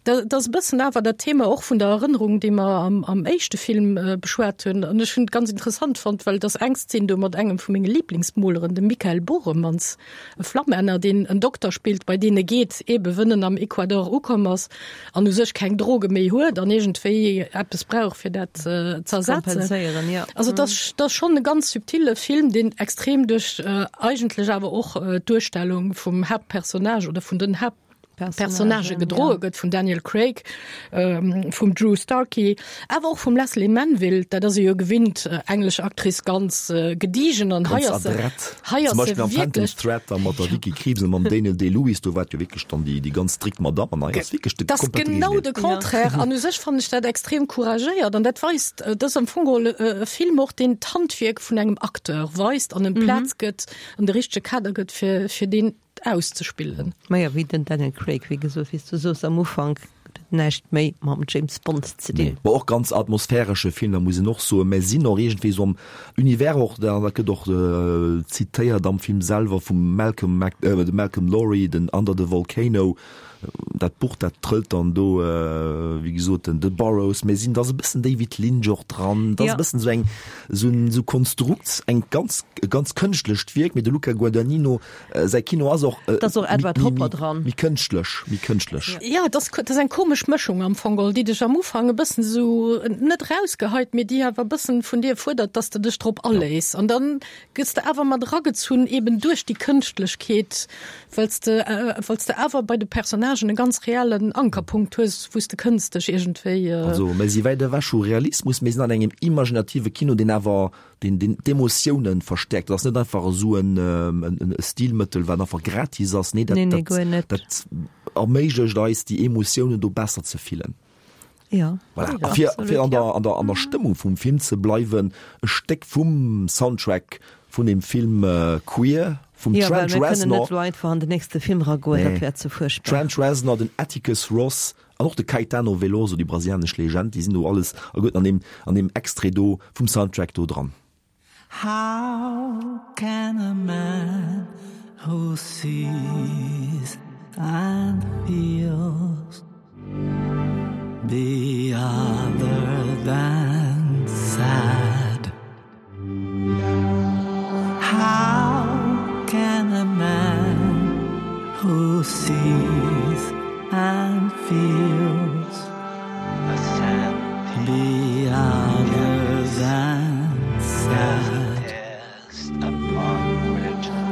Dat ass e bëssen awer dat Thema och vun der Erënnerung, déi mer am, am éischte Film beschwat hunn. An ech hunn et ganz interessant fonnt, well et ass eng Szen do mat engem vu menge Liblingsmoleren, dem Michael Borremans, e Flammänner, deen en Dokter spillt, bei deen e geet, eebe wënn en am Ecuador ukomm ass an u sech keng Droge méi huet an iergendwéi eppes brauch, fir dat ze ersetzen. Kompenséieren, jo. Also et ass, et ass schonn e ganz subtile Film, deen extrem duerch eigentlech awer och d'Duerstellung vum Haaptpersonnage oder vun den Haapt, Personnage gedroe gëtt vum Daniel Craig, vum Drew Starkey, awer och vum Lesley Manville, dat ass e jo gewinnt, englesch Actrice, ganz gediegen an hei ass se, hei ass se Zum Beispill am Phantom wierklech. Thread da mat der Vicky Krieps a mam Daniel Day-Lewis, do war et jo wierklech dann déi ganz strikt Madamm an hei ass wierklech de Dat ass komplette genau Géigendeel. de Contraire an u sech fannen ech dat extrem couragéiert an dat weist, dat ass am Fong geholl e Film och, deen d'Handwierk vun engem Acteur weist an em Plaz gëtt, an de richtege Kader gëtt fir, fir deen. auszespillen. Majo, wéi den Daniel Craig, wéi gesot, wéi s du soos am Ufank, huet et näischt méi mam James Bond ze dinn. Nee, bon, och ganz atmosphäresche Film, da muss een och soen, mä sinn och iergendwéi esou am Univers och, dat gëtt och zitéiert am Film selwer vum Malcolm Mac, dem Malcolm Lowry, den Under the Volcano, dat Buch, dat trëllt dann do, wéi gesot, den de Burroughs, mä sinn, da ass e bëssen David Lynch och dran, da ass e bëssen esou eng, esou en, esou Konstrukt, eng ganz, e ganz kënschtlecht Wierk, mä de Luca Guadagnino, Säi Kino ass och Et ass och Edward Hopper dran. Méi kënschtlech, méi kënschtlech. Jo, et ass, et ass eng komesch Mëschung am Fong geholl, déi dech am Ufank e bëssen esou net erausgeheit, mee déi awer e bëssen vun dir fuerdert, dass de dech drop aléiss. An dann gëss de awer mat eragezunn eben duerch déi Kënschtlechkeet, well s de, well s de awer bei de Personnagen e ganz reellen Ankerpunkt hues, wou s de kënns dech iergendwéi. Also, mir si wäit ewech vu Realismus, mir sinn an engem imaginative Kino, deen awer deen deen d'Emotiounen verstäerkt. Dat ass net einfach esou en en Stilmëttel, wat einfach gratis ass. Nee, dat Nee, nee, guer net. dat erméiglecht eis, déi Emotiounen do besser ze fillen. Ja. Voilà. A fir, fir an der, an der, an der Stëmmung vum Film ze bleiwen, e Stéck vum Soundtrack vun dem Film Queer vum Ja, well Trent mir kënnen Reznor. net elo einfach an den nächste Film eragoen, dat Nee. wär ze fuerchtbar. Trent Reznor, den Atticus Ross An och de Caetano Veloso, déi brasilianesch Legend, déi sinn do alles alleguerten an deem, an deem Extrait do vum Soundtrack do dran. How can a man who sees and feels be other than sad? How can a man who sees and feels be other than sad?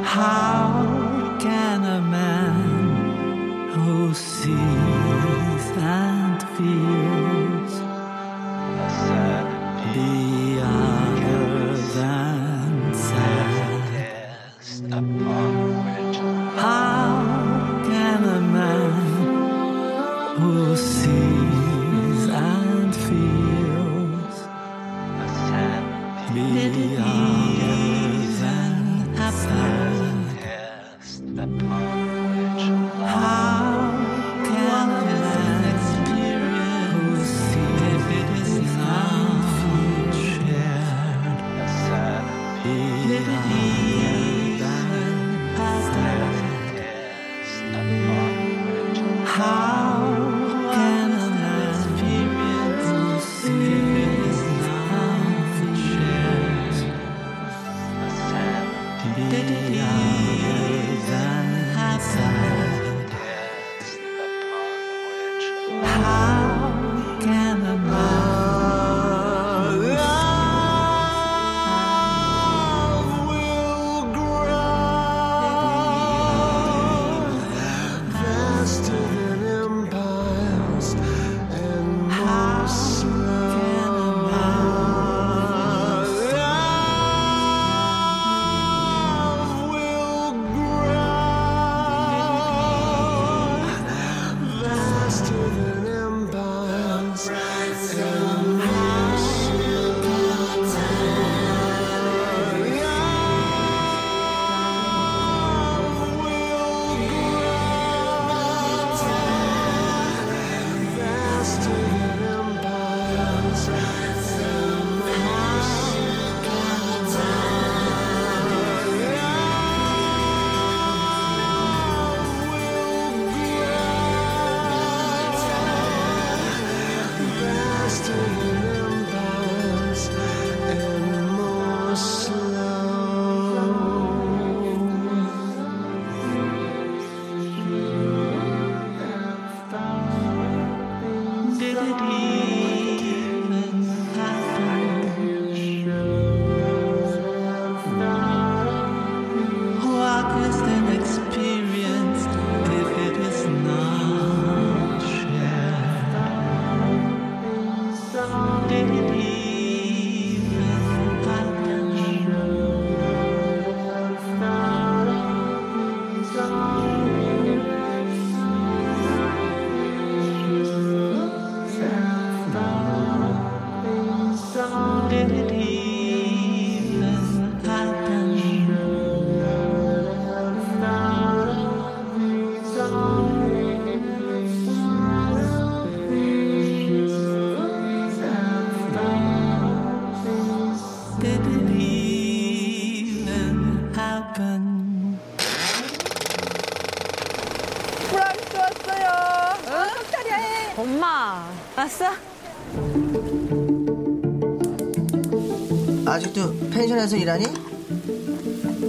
How can a man who sees and feels be other than sad? How can a man who sees and feels be other than sad? How can a man who sees and shared be other than sad? How can a man who sees and shared be other than sad? How can a man Love will grow vaster than empires and more slow. Love will grow vaster than empires and more slow. Love will grow vaster than empires and more Vaster than empires and more slow. Did it even happen? What is an experience if it is not shared? Did it even happen? Did it even happen? 엄마 왔어? 아직도 펜션에서 일하니?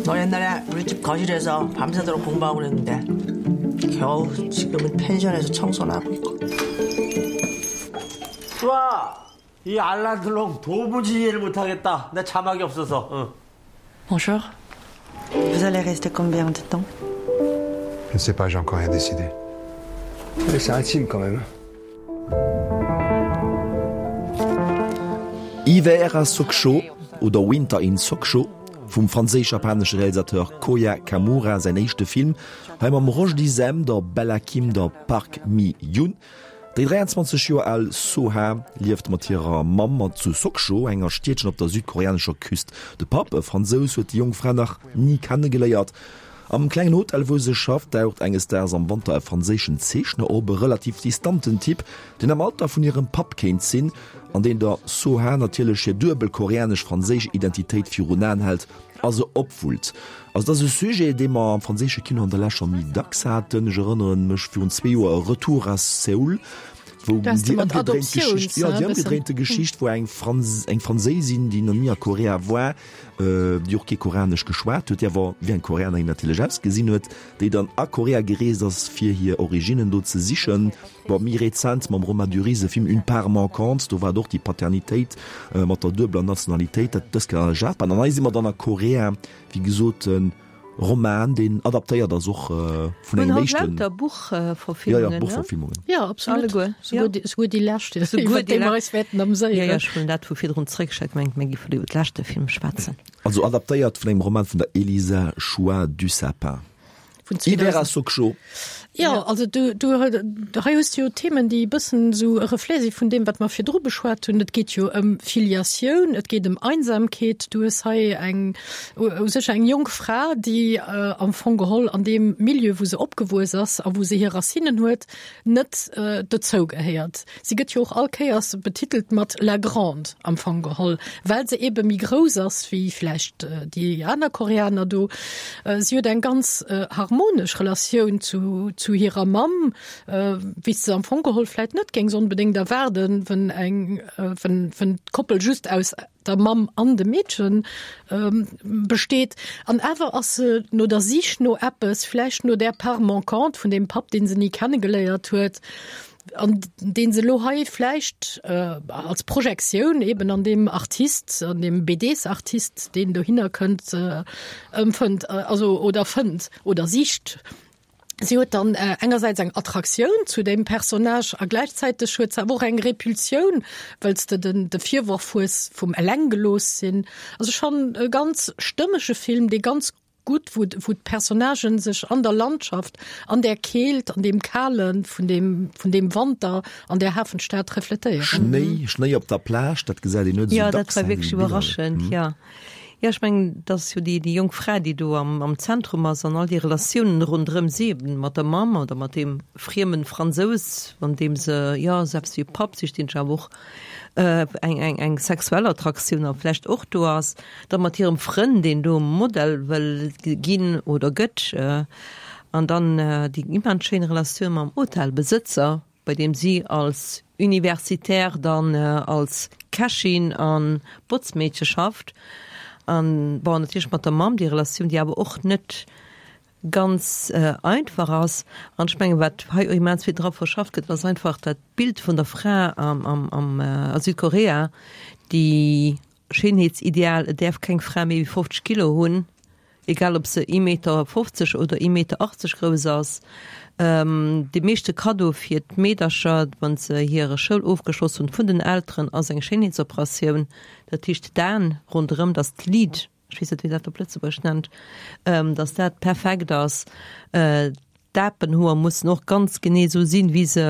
너 옛날에 우리 집 거실에서 밤새도록 공부하고 그랬는데 겨우 지금은 펜션에서 청소나 하고 있고 수아! 이 알란들롱 도무지 이해를 못하겠다. 내 자막이 없어서. 응. Bonjour. Vous allez rester combien de temps? Je ne sais pas, j'ai encore rien décidé. Mais c'est intime quand même. Hiver à Sokcho oder Winter in Sokcho vum franséisch-japanesche Realisateur Koya Kamura säin éischte Film, hei mam Roschdy Sem, der Bella Kim, der Park Mi-Yoon. Déi 23 Joer al Soo-ha lieft mat hirer Mamm zu Sokcho, enger Stiedchen op der südkoreanescher Küst. De Papp, e Fransous, huet déi jonk Fra nach ni kennegeléiert. Am klengen Hotel, wou se schafft, daucht enges Daags am Wanter e franséischen Zeechner op, e relativ distanten Typ, deen am Alter vun hirem Papp kéint sinn, an deen der Soo-ha natierlech hir duebel koreanesch-franséisch Identitéit virun Aen hält a se opwullt. Also et ass e Sujet, dee mer am franséische Kino an der Lescht scho méi dacks haten. Ech erënnere mech virun zwee Joer e Retour à Séoul, wou déi ëmgedréint Geschicht, jo, déi ëmgedréinte Geschicht, wou eng Frans, eng Franséisin, déi nach ni a Korea war, déi och kee Koreanesch geschwat huet, déi awer wéi eng Koreanerin natierlech ausgesinn huet, déi dann a Korea gereest ass, fir hir Originnen do ze sichen. Bon, méi rezent mam Romain Duris e Film Une part manquante, do war et och déi Paternitéit mat der duebeler Nationalitéit, dat dës Kéier a Japan. An hei si mer dann a Korea, wéi gesot e Roman, deen adaptéiert ass och vun engem éischten. Lauter Buchverfilmungen, ne? Buchverfilmungen. Jo, absolut. Alleguer, jo. Souguer déi lescht, iwwer déi mer eis wäerten ameséieren. Jo, jo, ech hunn dat vu virdrun zeréckgeschéckt, mengt mir géifen iwwer de leschte Film schwätzen. Also adaptéiert vun engem Roman vun der Élisa Shua Dusapin. Vun 2000. Ivera Sokcho. Ja, also du, du, hei hues du jo Themen, déi e bëssen esou e Reflet si vun deem, wat mer virdru beschwat hunn. Et geet jo ëm Filiatioun, et geet ëm Einsamkeet. Du hues hei eng, u sech eng jonk Fra, déi am Fong geholl an deem Milieu, wou se opgewuess ass a wou se hir Racinen huet, net dozou gehéiert. Si gëtt jo och all Kéiers betitelt mat la Grande am Fong geholl, well se ebe méi grouss ass wéi vläicht déi aner Koreaner do. Si huet eng ganz harmonesch Relatioun zu, zu hirer Mamm, wéi s de se am Fong geholl vläicht net géings onbedéngt erwaarden, wenn eng, wenn, wenn d'Koppel just aus der Mamm an dem Meedchen besteet. An awer ass se no der Sich no eppes, vläicht no där Part manquante vun deem Papp, dee se ni kennegeléiert huet, an dee se elo hei vläicht als Projektioun eben an deem Artist, an deem BDs-Artist, deen dohinner kënnt, ëmfënnt, also oder fënnt oder sicht. Si huet dann engersäits eng Attraktioun zu deem Personnage a gläichzäiteg huet se awer och eng Repulsioun, well s de den de Virworf hues vum Elenggelooss sinn. Also schonn e ganz stëmmege Film, dee ganz gutt, wou wou d'Personnagen sech an der Landschaft, an där Keelt, an deem Kale vun deem vun deem Wanter an där Hafenstad refletéieren. Schnéi, Schnéi op der Plage, dat gesäit een net esou dacks. Jo, dat war wierklech iwwerraschend, jo. Jo, ech mengen, et ass jo déi, déi jonk Fra, déi do am, am Zentrum ass an all déi Relatiounen ronderëm si, eben mat der Mamm oder mat deem friemen Fransous, an deem se, jo, selbst wéi e Papp sicht, deen sech awer och eng, eng, eng sexuell Attraktioun a vläicht och do ass, da mat hirem Frënn, deen do Modell wëll ginn oder gëtt, an dann déi immens schéin Relatioun mam Hotelbesëtzer, bei deem si als Universitaire dann als Kächin a Botzmeedche schafft an, bon, natierlech mat der Mamm déi Relatioun, déi awer och net ganz einfach ass. An ech mengen, wat hei och immens vill dra verschafft gëtt, ass einfach dat Bild vun der Fra am, am, a Südkorea, déi Schéinheetsideal, et däerf keng Fra méi wéi 50 Kilo hunn, egal ob se ee Meter 50 oder ee Meter 80 grouss ass. Dee meeschte Kaddo fir d'Meedercher, wa se hire Schoul ofgeschloss hunn, vun den Elteren ass eng Schéinheetsoperatioun. Dat heescht d'Aen ronderëm, datt d'Lid, ech weess net wéi dat op Lëtzebuergesch nennt, datt dat perfekt ass. D'Apenhoer mussen och ganz genee esou sinn, wéi se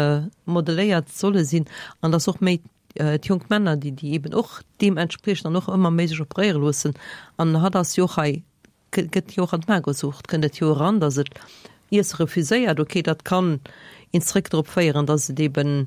modeléiert solle sinn an datt och méi d'jonk Männer, déi déi eben och deementspriechend an och ëmmer méi sech operéiere loossen. An hatt ass jo och hei, gëtt jo och an d'Magersucht, kënnt et jo eran, datt et Iesse refuséiert. Okay, dat kann een zréck drop féieren, datt et eben,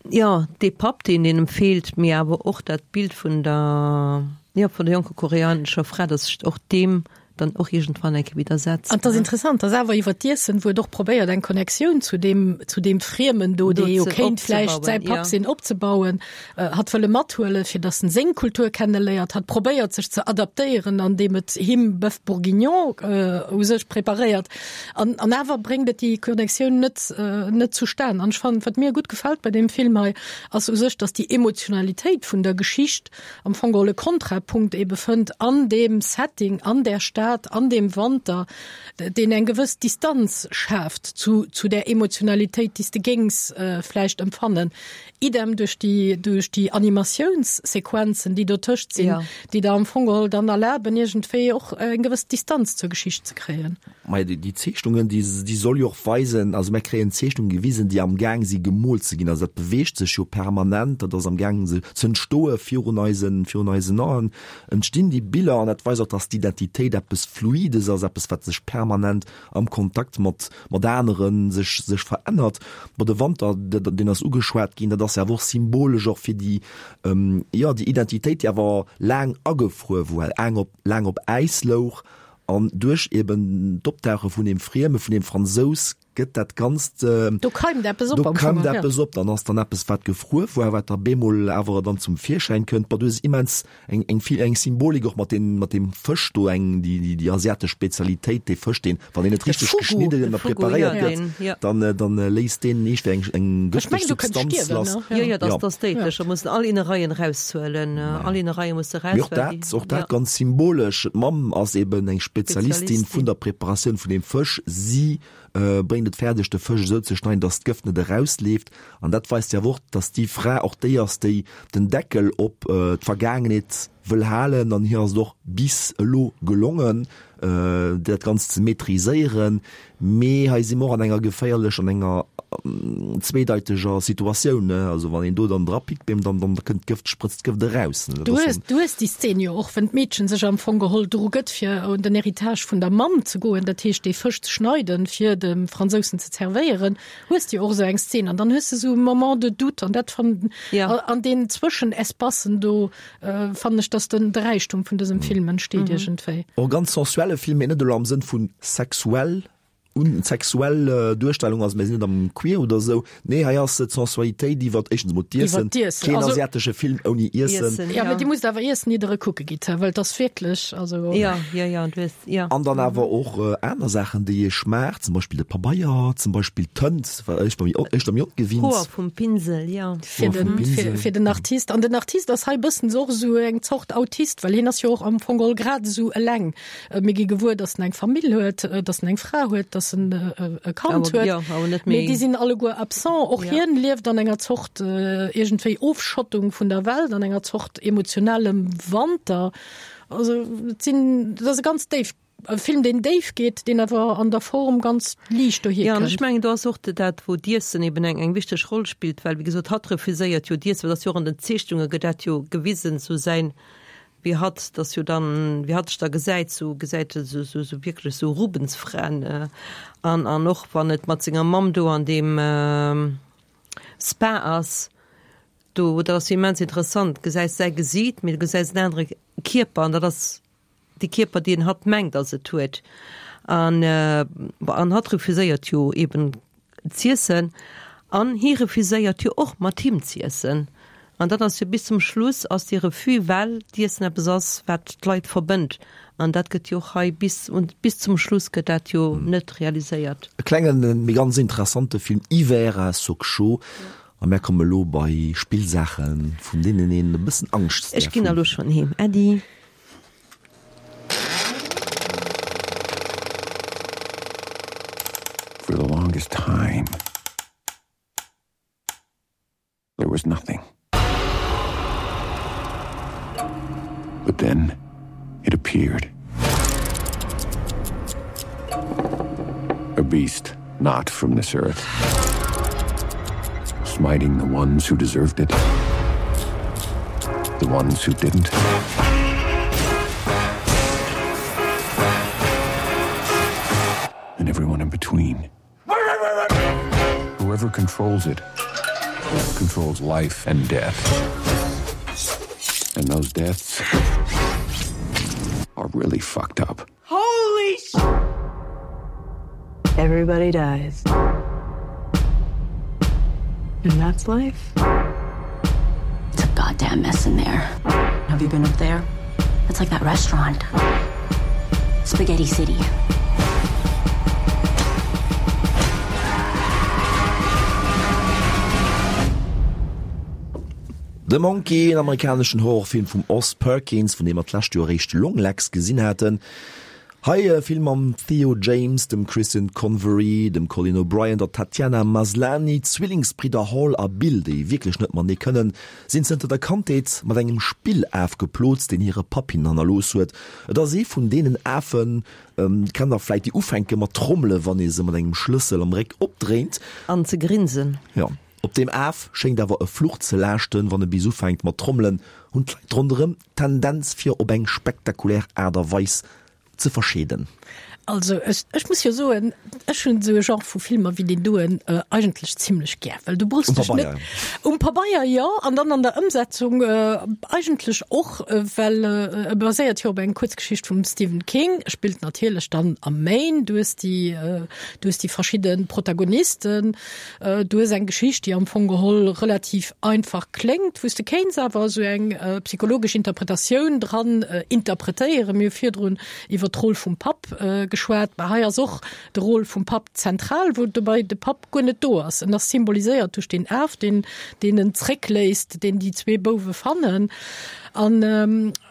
jo, dee Papp, deen engem feelt, mee awer och dat Bild vun der, jo, vun der jonker koreanescher Fra, datt sech och deem. Dann och iergendwann eng Kéier widdersetzt. An 't ass interessant, dass awer iwwer d'Iessen, wou et och probéiert eng Connectioun zu deem, zu deem Friemen do, dee jo kéint vläicht säi Papp sinn, opzebauen, hatt wëlle mathuelen, fir dass en seng Kultur kenneléiert. Hatt probéiert sech ze adaptéieren, andeem et him Bœuf bourguignon u sech preparéiert. An, an awer bréngt et déi Connectioun net, net zustan. An ech fannen, wat mir gutt gefält bei deem Film hei, ass u sech, dass déi Emotionalitéit vun der Geschicht, am Fong geholl e Kontrapunkt ebe fënnt an deem Setting, an där Stad, an deem Wanter, deen eng gewëss Distanz schaaft zu, zu där Emotionalitéit, déi s de géings vläicht empfannen. Idem duerch déi, duerch déi Animatiounssequenzen, déi dotëscht sinn, déi der am Fong geholl dann erlaben, iergendwéi och eng gewëss Distanz zur Geschicht ze kréien. Majo, déi Zeechnungen, déi, déi soll jo och weisen, also mär kréien Zeechnungen gewisen, déi amgaang si gemoolt ze ginn. Also dat beweegt sech jo permanent, dat ass amgaang se z'entstoe virun eisen, virun eisen Aen entstinn déi Biller. An dat weist och, dass d'Identitéit eppes Fluides ass, eppes wat sech permanent am Kontakt mat, mat anere sech, sech verännert. Bon, de Wanter, deen ass ugeschwat ginn, dat ass jo awer och symbolesch och fir déi, jo, déi Identitéit, déi awer laang agefruer war, laang op, laang op Äis louch An duerch eben d'Optauche vun deem Frieme, vun deem Fransous, gëtt dat Ganzt, Do keimt eppes op do keimt eppes op. Dann ass dann eppes, wat gefruer war, wat da bemol awer dann zum Virschäin kënnt. Bon, du hues immens eng, eng vill, eng Symbolik och mat deem, mat deem Fësch do, eng, déi, déi, déi asiatesch Spezialitéit, dee Fësch, deen, wann deen net richteg geschnidden a preparéiert gëtt, dann, dann léisst deen eescht eng, eng gëfteg Substanz lass. Jo, jo, dat ass déidlech. Da mussen all Innereien eraushuelen. All Innereie musse raus. Mee och dat, och dat ganz symbolesch. D'Mamm ass eben eng Spezialistin vun der Preparatioun vun deem Fësch. Si bréngt et fäerdeg, de Fësch esou ze schneiden, datt d'Gëft net erausleeft. An dat weist jo awer och, datt déi Fra och déi ass, déi den Deckel op d'Vergaangenheet wëll halen. An hir ass et och bis elo gelongen, dat Ganzt ze maîtriséieren. Mee hei si mer och an enger geféierlech, an enger zweedeiteger Situatioun. Also wann een do dann drapickt, beem, dann, dann kënnt d'Gëft, sprëtzt d'Gëft eraus. Du hues, du hues déi Szen jo och, wenn d'Meedchen sech am Fong geholl dru gëtt, fir un den Héritage vun der Mamm ze goen, dat heescht dee Fësch ze schneiden, fir dem Fransousen ze zerwéieren, hues de jo och esou eng Szen. An dann hues de esou e Moment de doute an dat fannen, an deenen Zwëschenespacen do, Fannen ech dass den de Räichtum vun dësem Film entsteet iergendwéi. Och ganz sensuelle Film, mee net elo am Sënn vun sexuell un sexuell Duerstellung, also mir sinn net am Queer oder esou, nee hei ass d'Sensualitéit iwwert éischtens emol d'Iessen, keen asiatesche Film ouni Iessen. Jo, mee dir musst awer Iessen ier der e kucke gitt, well et ass wierklech, also. Jo, jo, jo, du hues, jo. An dann awer och aner Saachen déi ee schmaacht, zum Beispill de Pabeier, zum Beispill d'Tënt, war éischter méi éischter méi ongewinnt. Hoer vum Pinsel, jo. Fir den, fir, fir den Artist. An den Artist ass hei bëssen och esou eng Zort Autist, well hien ass jo och am Fong geholl grad esou eleng. Mir gi gewuer, datt en eng Famill huet, datt en eng Fra huet, datt en e Kand huet. Jo, awer net méi. Mee déi sinn alleguer absent. Och hien lieft an enger Zort iergendwéi Ofschottung vun der Welt, an enger Zort emotionalem Wanter. Also et sinn, et ass e ganz déif E Film deen déif geet, deen awer an der Form ganz liicht dohier kënnt. Jo, an ech mengen do ass och dat wou d'Iessen eben eng eng wichteg Roll spillt, well wéi gesot hatt refuséiert jo d'Iessen, well dat ass jo och an den Zeechnunge gëtt dat jo gewisen, sou säin, wéi hatt dass jo dann, wéi hatt sech da gesäit, sou gesäit e sou sou sou wierklech sou Rubensfraen an an och wann et mat senger Mamm do an deem Spa ass, do dat ass jo immens interessant, gesäis säi Gesiit, mee du gesäis en anere Kierper an dat ass dee Kierper, deen hatt mengt, datt et huet. An, bon, an hatt refuséiert jo eben z'iessen an hie refuséiert jo och mat him z'iessen. An dat ass jo bis zum Schluss ass dee Refus, well d'Iessen eppes ass, wat d'Leit verbënnt. An dat gëtt jo och hei bis un, bis zum Schluss gëtt dat jo net realiséiert. E klengen, mee ganz interessante Film, Hiver à Sokcho. A mär komme lo bei Spillsaachen, vun deenen een e bëssen Angscht Ech däerf ginn hunn. elo schonn heem. Äddi. For the longest time there was nothing. But then it appeared. A beast not from this earth. Smiting the ones who deserved it. The ones who didn't. And everyone in between. Whoever controls it controls life and death. And those deaths are really fucked up. Holy! Eis! Everybody dies. And that's life. It's a goddamn mess in there. Have you been up there? It's like that restaurant. Spaghetti City. The Monkey, en amerikaneschen Horrorfilm vum Oz Perkins, vun deem mer d'lescht Joer eréischt Longlegs gesinn haten. Hei e Film mam Theo James, dem Christian Convery, dem Colin O'Brien, der Tatiana Maslany. D'Zwillingsbridder Hall a Bill, déi wierklech net matenee kënnen, sinn zënter der Kandheet mat engem Spillaf geplot, deen hire Papp hinnen hannerlooss huet. Et ass ee vun deenen Afen, kennt der vläit, déi ufänke mat trommele wann ee se mat engem Schlëssel am Réck opdréint. An ze grinsen. Jo. Op deem Af schéngt awer e Fluch ze laaschten, wann e bis ufänkt mat trommelen, hunn d'Leit ronderëm d'Tendenz fir op eng spektakulär Aart a Weis ze verscheeden. Also ech, ech muss jo soen, ech hunn esou e Genre vu Filmer wéi deen doen eigentlech zimlech gär, well du brauchs dech net. Um Pabeier jo, an dann an der Ëmsetzung eigentlech och, well e baséiert jo op eng Kuerzgeschicht vum Stephen King, spillt natierlech dann am Maine, du hues déi, du hues déi verschidde Protagonisten, Du hues eng Geschicht, déi am Fong geholl relativ einfach kléngt, wou s de kéints awer esou eng psychologesch Interpretatioun dran interpretéieren. Mir hu virdrun iwwer d'Roll vum Papp geschwat. Mä hei ass och de Rôle vum Papp zentral, wou dobäi de Papp guer net do ass. En ass symboliséiert duerch deen Af, deen deen en zréckléisst, deen déi zwee Bouwe fannen. An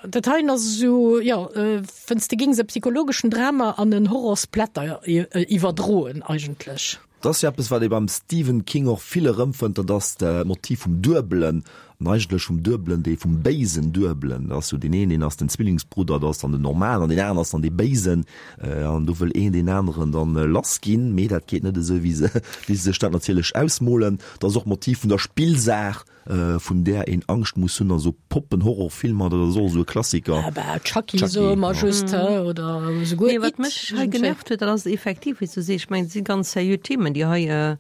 dat heien ass esou, jo, wenn's de géings e psychologeschen Drama an en Horrorsplatter iwwerdroen eigentlech. Dat ass jo eppes, wat ee beim Stephen King och vill erëmfënnt, dat ass d'Motiv vum Duebelen, an eigentlech vum Duebelen, dee vum béisen Duebelen. Dat ass jo deen een, deen ass den Zwillingsbrudder, dat ass dann den normalen, an deen aneren ass dann dee Béisen. An do wëll een deen aneren dann lass ginn, mee dat geet net esou, wéi se, wéi se sech dat natierlech ausmolen. Dat ass och d'Motiv vun der Spillsaach. Vun där een Angscht muss hunn, also Poppen-Horrorfilmer, dat ass och esou e Klassiker. Ah bah, Chucky, Chucky soe mer just, ja. oder esouguer Nee, wat mech hei genervt huet, dat ass effektiv, wéi s du sees, ech mengen, et si ganz seriö Themen, déi hei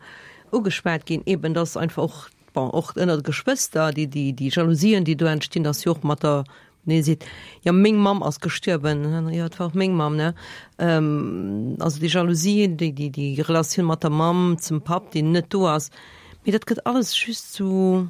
ugeschwat ginn, eben dass einfach och, bon, och ënner de Geschwëster, déi, déi, déi Jalousien, déi do entstinn, dass jo och mat der Nee, seet, jo, meng Mamm ass gestuerwen. Jo, et war och meng Mamm, ne? Also déi Jalousie, déi, déi, déi Relatioun mat der Mamm zum Papp, deen net do ass. Mee dat gëtt alles just sou,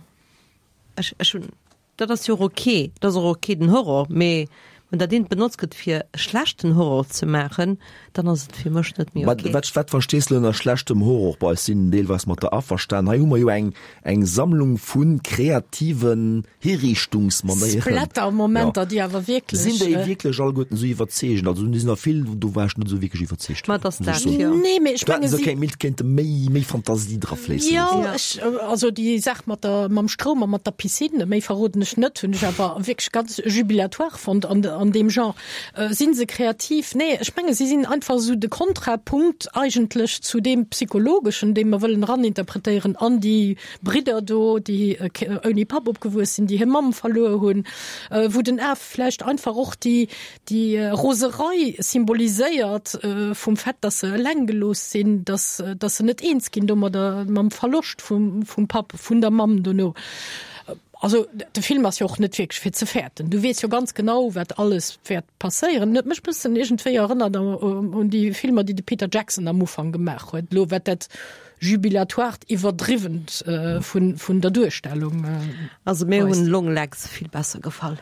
ech, ech hunn, dat ass jo och ok, dat ass och ok, den Horror, mee wann dat eent benotzt gëtt fir e schlechten Horror ze maachen, dann ass et fir mech net méi ok. Wat, wat verstees de ënner schlechtem Horror? Bon, ech sinn deelweis mat der averstan. Hei hu mer jo eng, eng Sammlung vu kreativen Hiriichtungsmanéieren. Splatter-Momenter, déi awer wierklech. Sinn déi wierklech alleguerten esou iwwerzeegend? Also do sinn der vill, do war ech net esou wierklech iwwerzeegt. Ma et ass dat, jo. Nee, mee ech menge si. Kéint, kéinte méi, méi Fantasie dra fléissen. Jo, ech, also déi Saach mat der, mam Stroum a mat der Piscine, méi verroden ech net, hunn ech awer wierklech ganz jubilatoire fonnt an, an deem Genre. Sinn se kreativ? Nee, ech menge si sinn einfach esou de Kontrapunkt eigentlech zu deem Psychologeschen, dee mer wëllen eraninterpretéieren an déi Bridder do, déi ouni Papp opgewuess sinn, déi hir Mamm verluer hunn, wou den Af vläicht einfach och déi, déi Roserei symboliséiert vum Fait, dass se eleng gelooss sinn, dass, dass se net eens ginn domadder, mam Verloscht vum, vum Papp, vun der Mamm dono. Also de Film ass jo och net wierklech fir ze fäerten. Du weess jo ganz genau, wat alles wäert passéieren. En huet mech bëssen iergendwéi erënnert un déi Filmer, déi de Peter Jackson am Ufank gemaach huet, elo wat dat Jubilatoirt Iwwerdriwwent vun der Duerstellung Also mir hunn Long Legs vill besser gefall.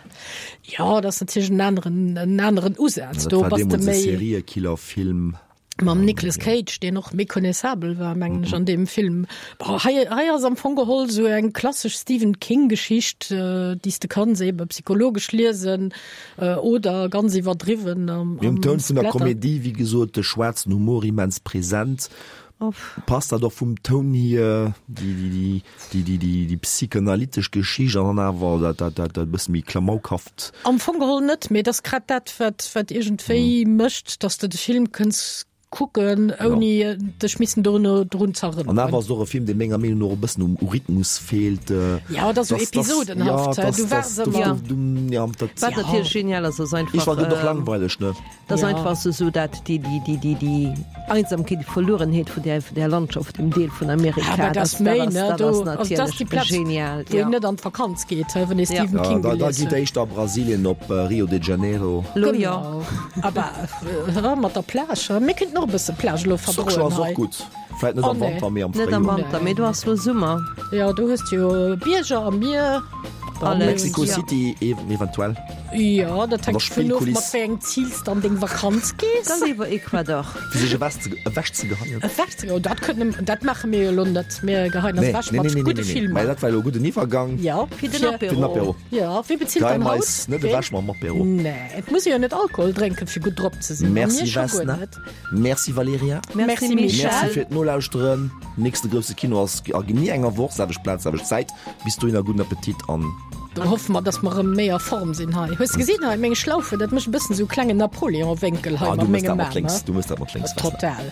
Jo, dat ass natierlech en aneren, en aneren Usaz. Do bass de méi. Seriekillerfilm. Mam Nicolas Cage, deen och méconnaissabel war, mengen ech, an deem Film. Bon, hei, hei ass am Fong geholl esou eng klassesch Stephen King-Geschicht, déi s de kanns ebe psychologesch liesen oder ganz iwwerdriwwen am, Mir hunn Toun vun der Komedie, wéi gesot, de schwaarzen Humor immens present. Passt dat och vum Toun hier, déi psychanalytesch Geschicht an dann awer dat dat e bësse méi klamaukhafft? Am Fong geholl net, mee et ass grad dat, wat wat iergendwéi mécht, datt s de de Film kënns. kucken, ouni dech missen dono drun ze An erënneren. awer ass et och e Film, dee menger Meenung no och e bëssen um u Rhythmus feelt. Ja, et ass esou episodenhaft, ja, du waars ëmmer. Ja, dat, Wat natierlech genial ass, ass einfach. Ich war gëtt och langweileg, ne? Dat ass einfach esou, esou dat déi, déi, déi, déi, déi Einsamkeet, déi Verluerenheet vun där, vun där Landschaft, dem Deel vun Amerika. Ah, dat ass méi, ne? Dat Do, ass also dat ass natierlech déi Plaz, genial, wou een ja. net an d'Vakanz geet, he, wann ee Stephen Ja, King da, da gelies geet huet. éischter a Brasilien op Rio de Janeiro. Lo jo. Genau. Aber äh, mat der Plage, he? Mir kéinten och e bësse Plage elo Sokcho verdroen ass och hei. gutt. Vläit net Oh am nee. Wanter, mee am Net am Fréijoer. Wanter, mee do ass lo Summer. Ja, do hues de jo Bierger a Mier. Alles. Mexico Ja. City ev eventuell. Jo, dat An hänkt der dovun of, mat Spillkuliss. wéi engem Zil s de an deng Vakanz gees. Da léiwer Ecuador. Fir sech ewech ze ewech ze geheien. Ewech ze geheien, dat kënne, dat maache mir jo elo net. Mir geheien eis Nee, ewech nee, mat nee, nee, gudde nee, nee. Filmer. Mä dat war elo e gudden Iwwergang. Jo, Fir den fir, Fir den Apéro. Apéro. jo, wie bezilt Geheie dann mer haut? eis net Ween? ewech mam Apéro. Nee, et muss ee jo net Alkohol drénken, fir gutt drop ze sinn. A Merci mir scho guer Vesna. net. Merci Valerija. Merci Merci Merci Michel. fir d'Nolauschteren. Nächste grousse Kino ass a genee enger Woch, selwecht Plaz, selwecht Zäit. Bis dohinner gudden Appetit an. Dann hoffe mer, dass mer erëm méi a Form sinn hei. Hues de gesinn hei meng Schlaufen? Dat mécht e bëssen esou klengen Napoleon-Wénkel hei Ah, du mat mëss dat mengem mat Aarm, lénks, he? du mëss dat mat lénks, Vesna. Total.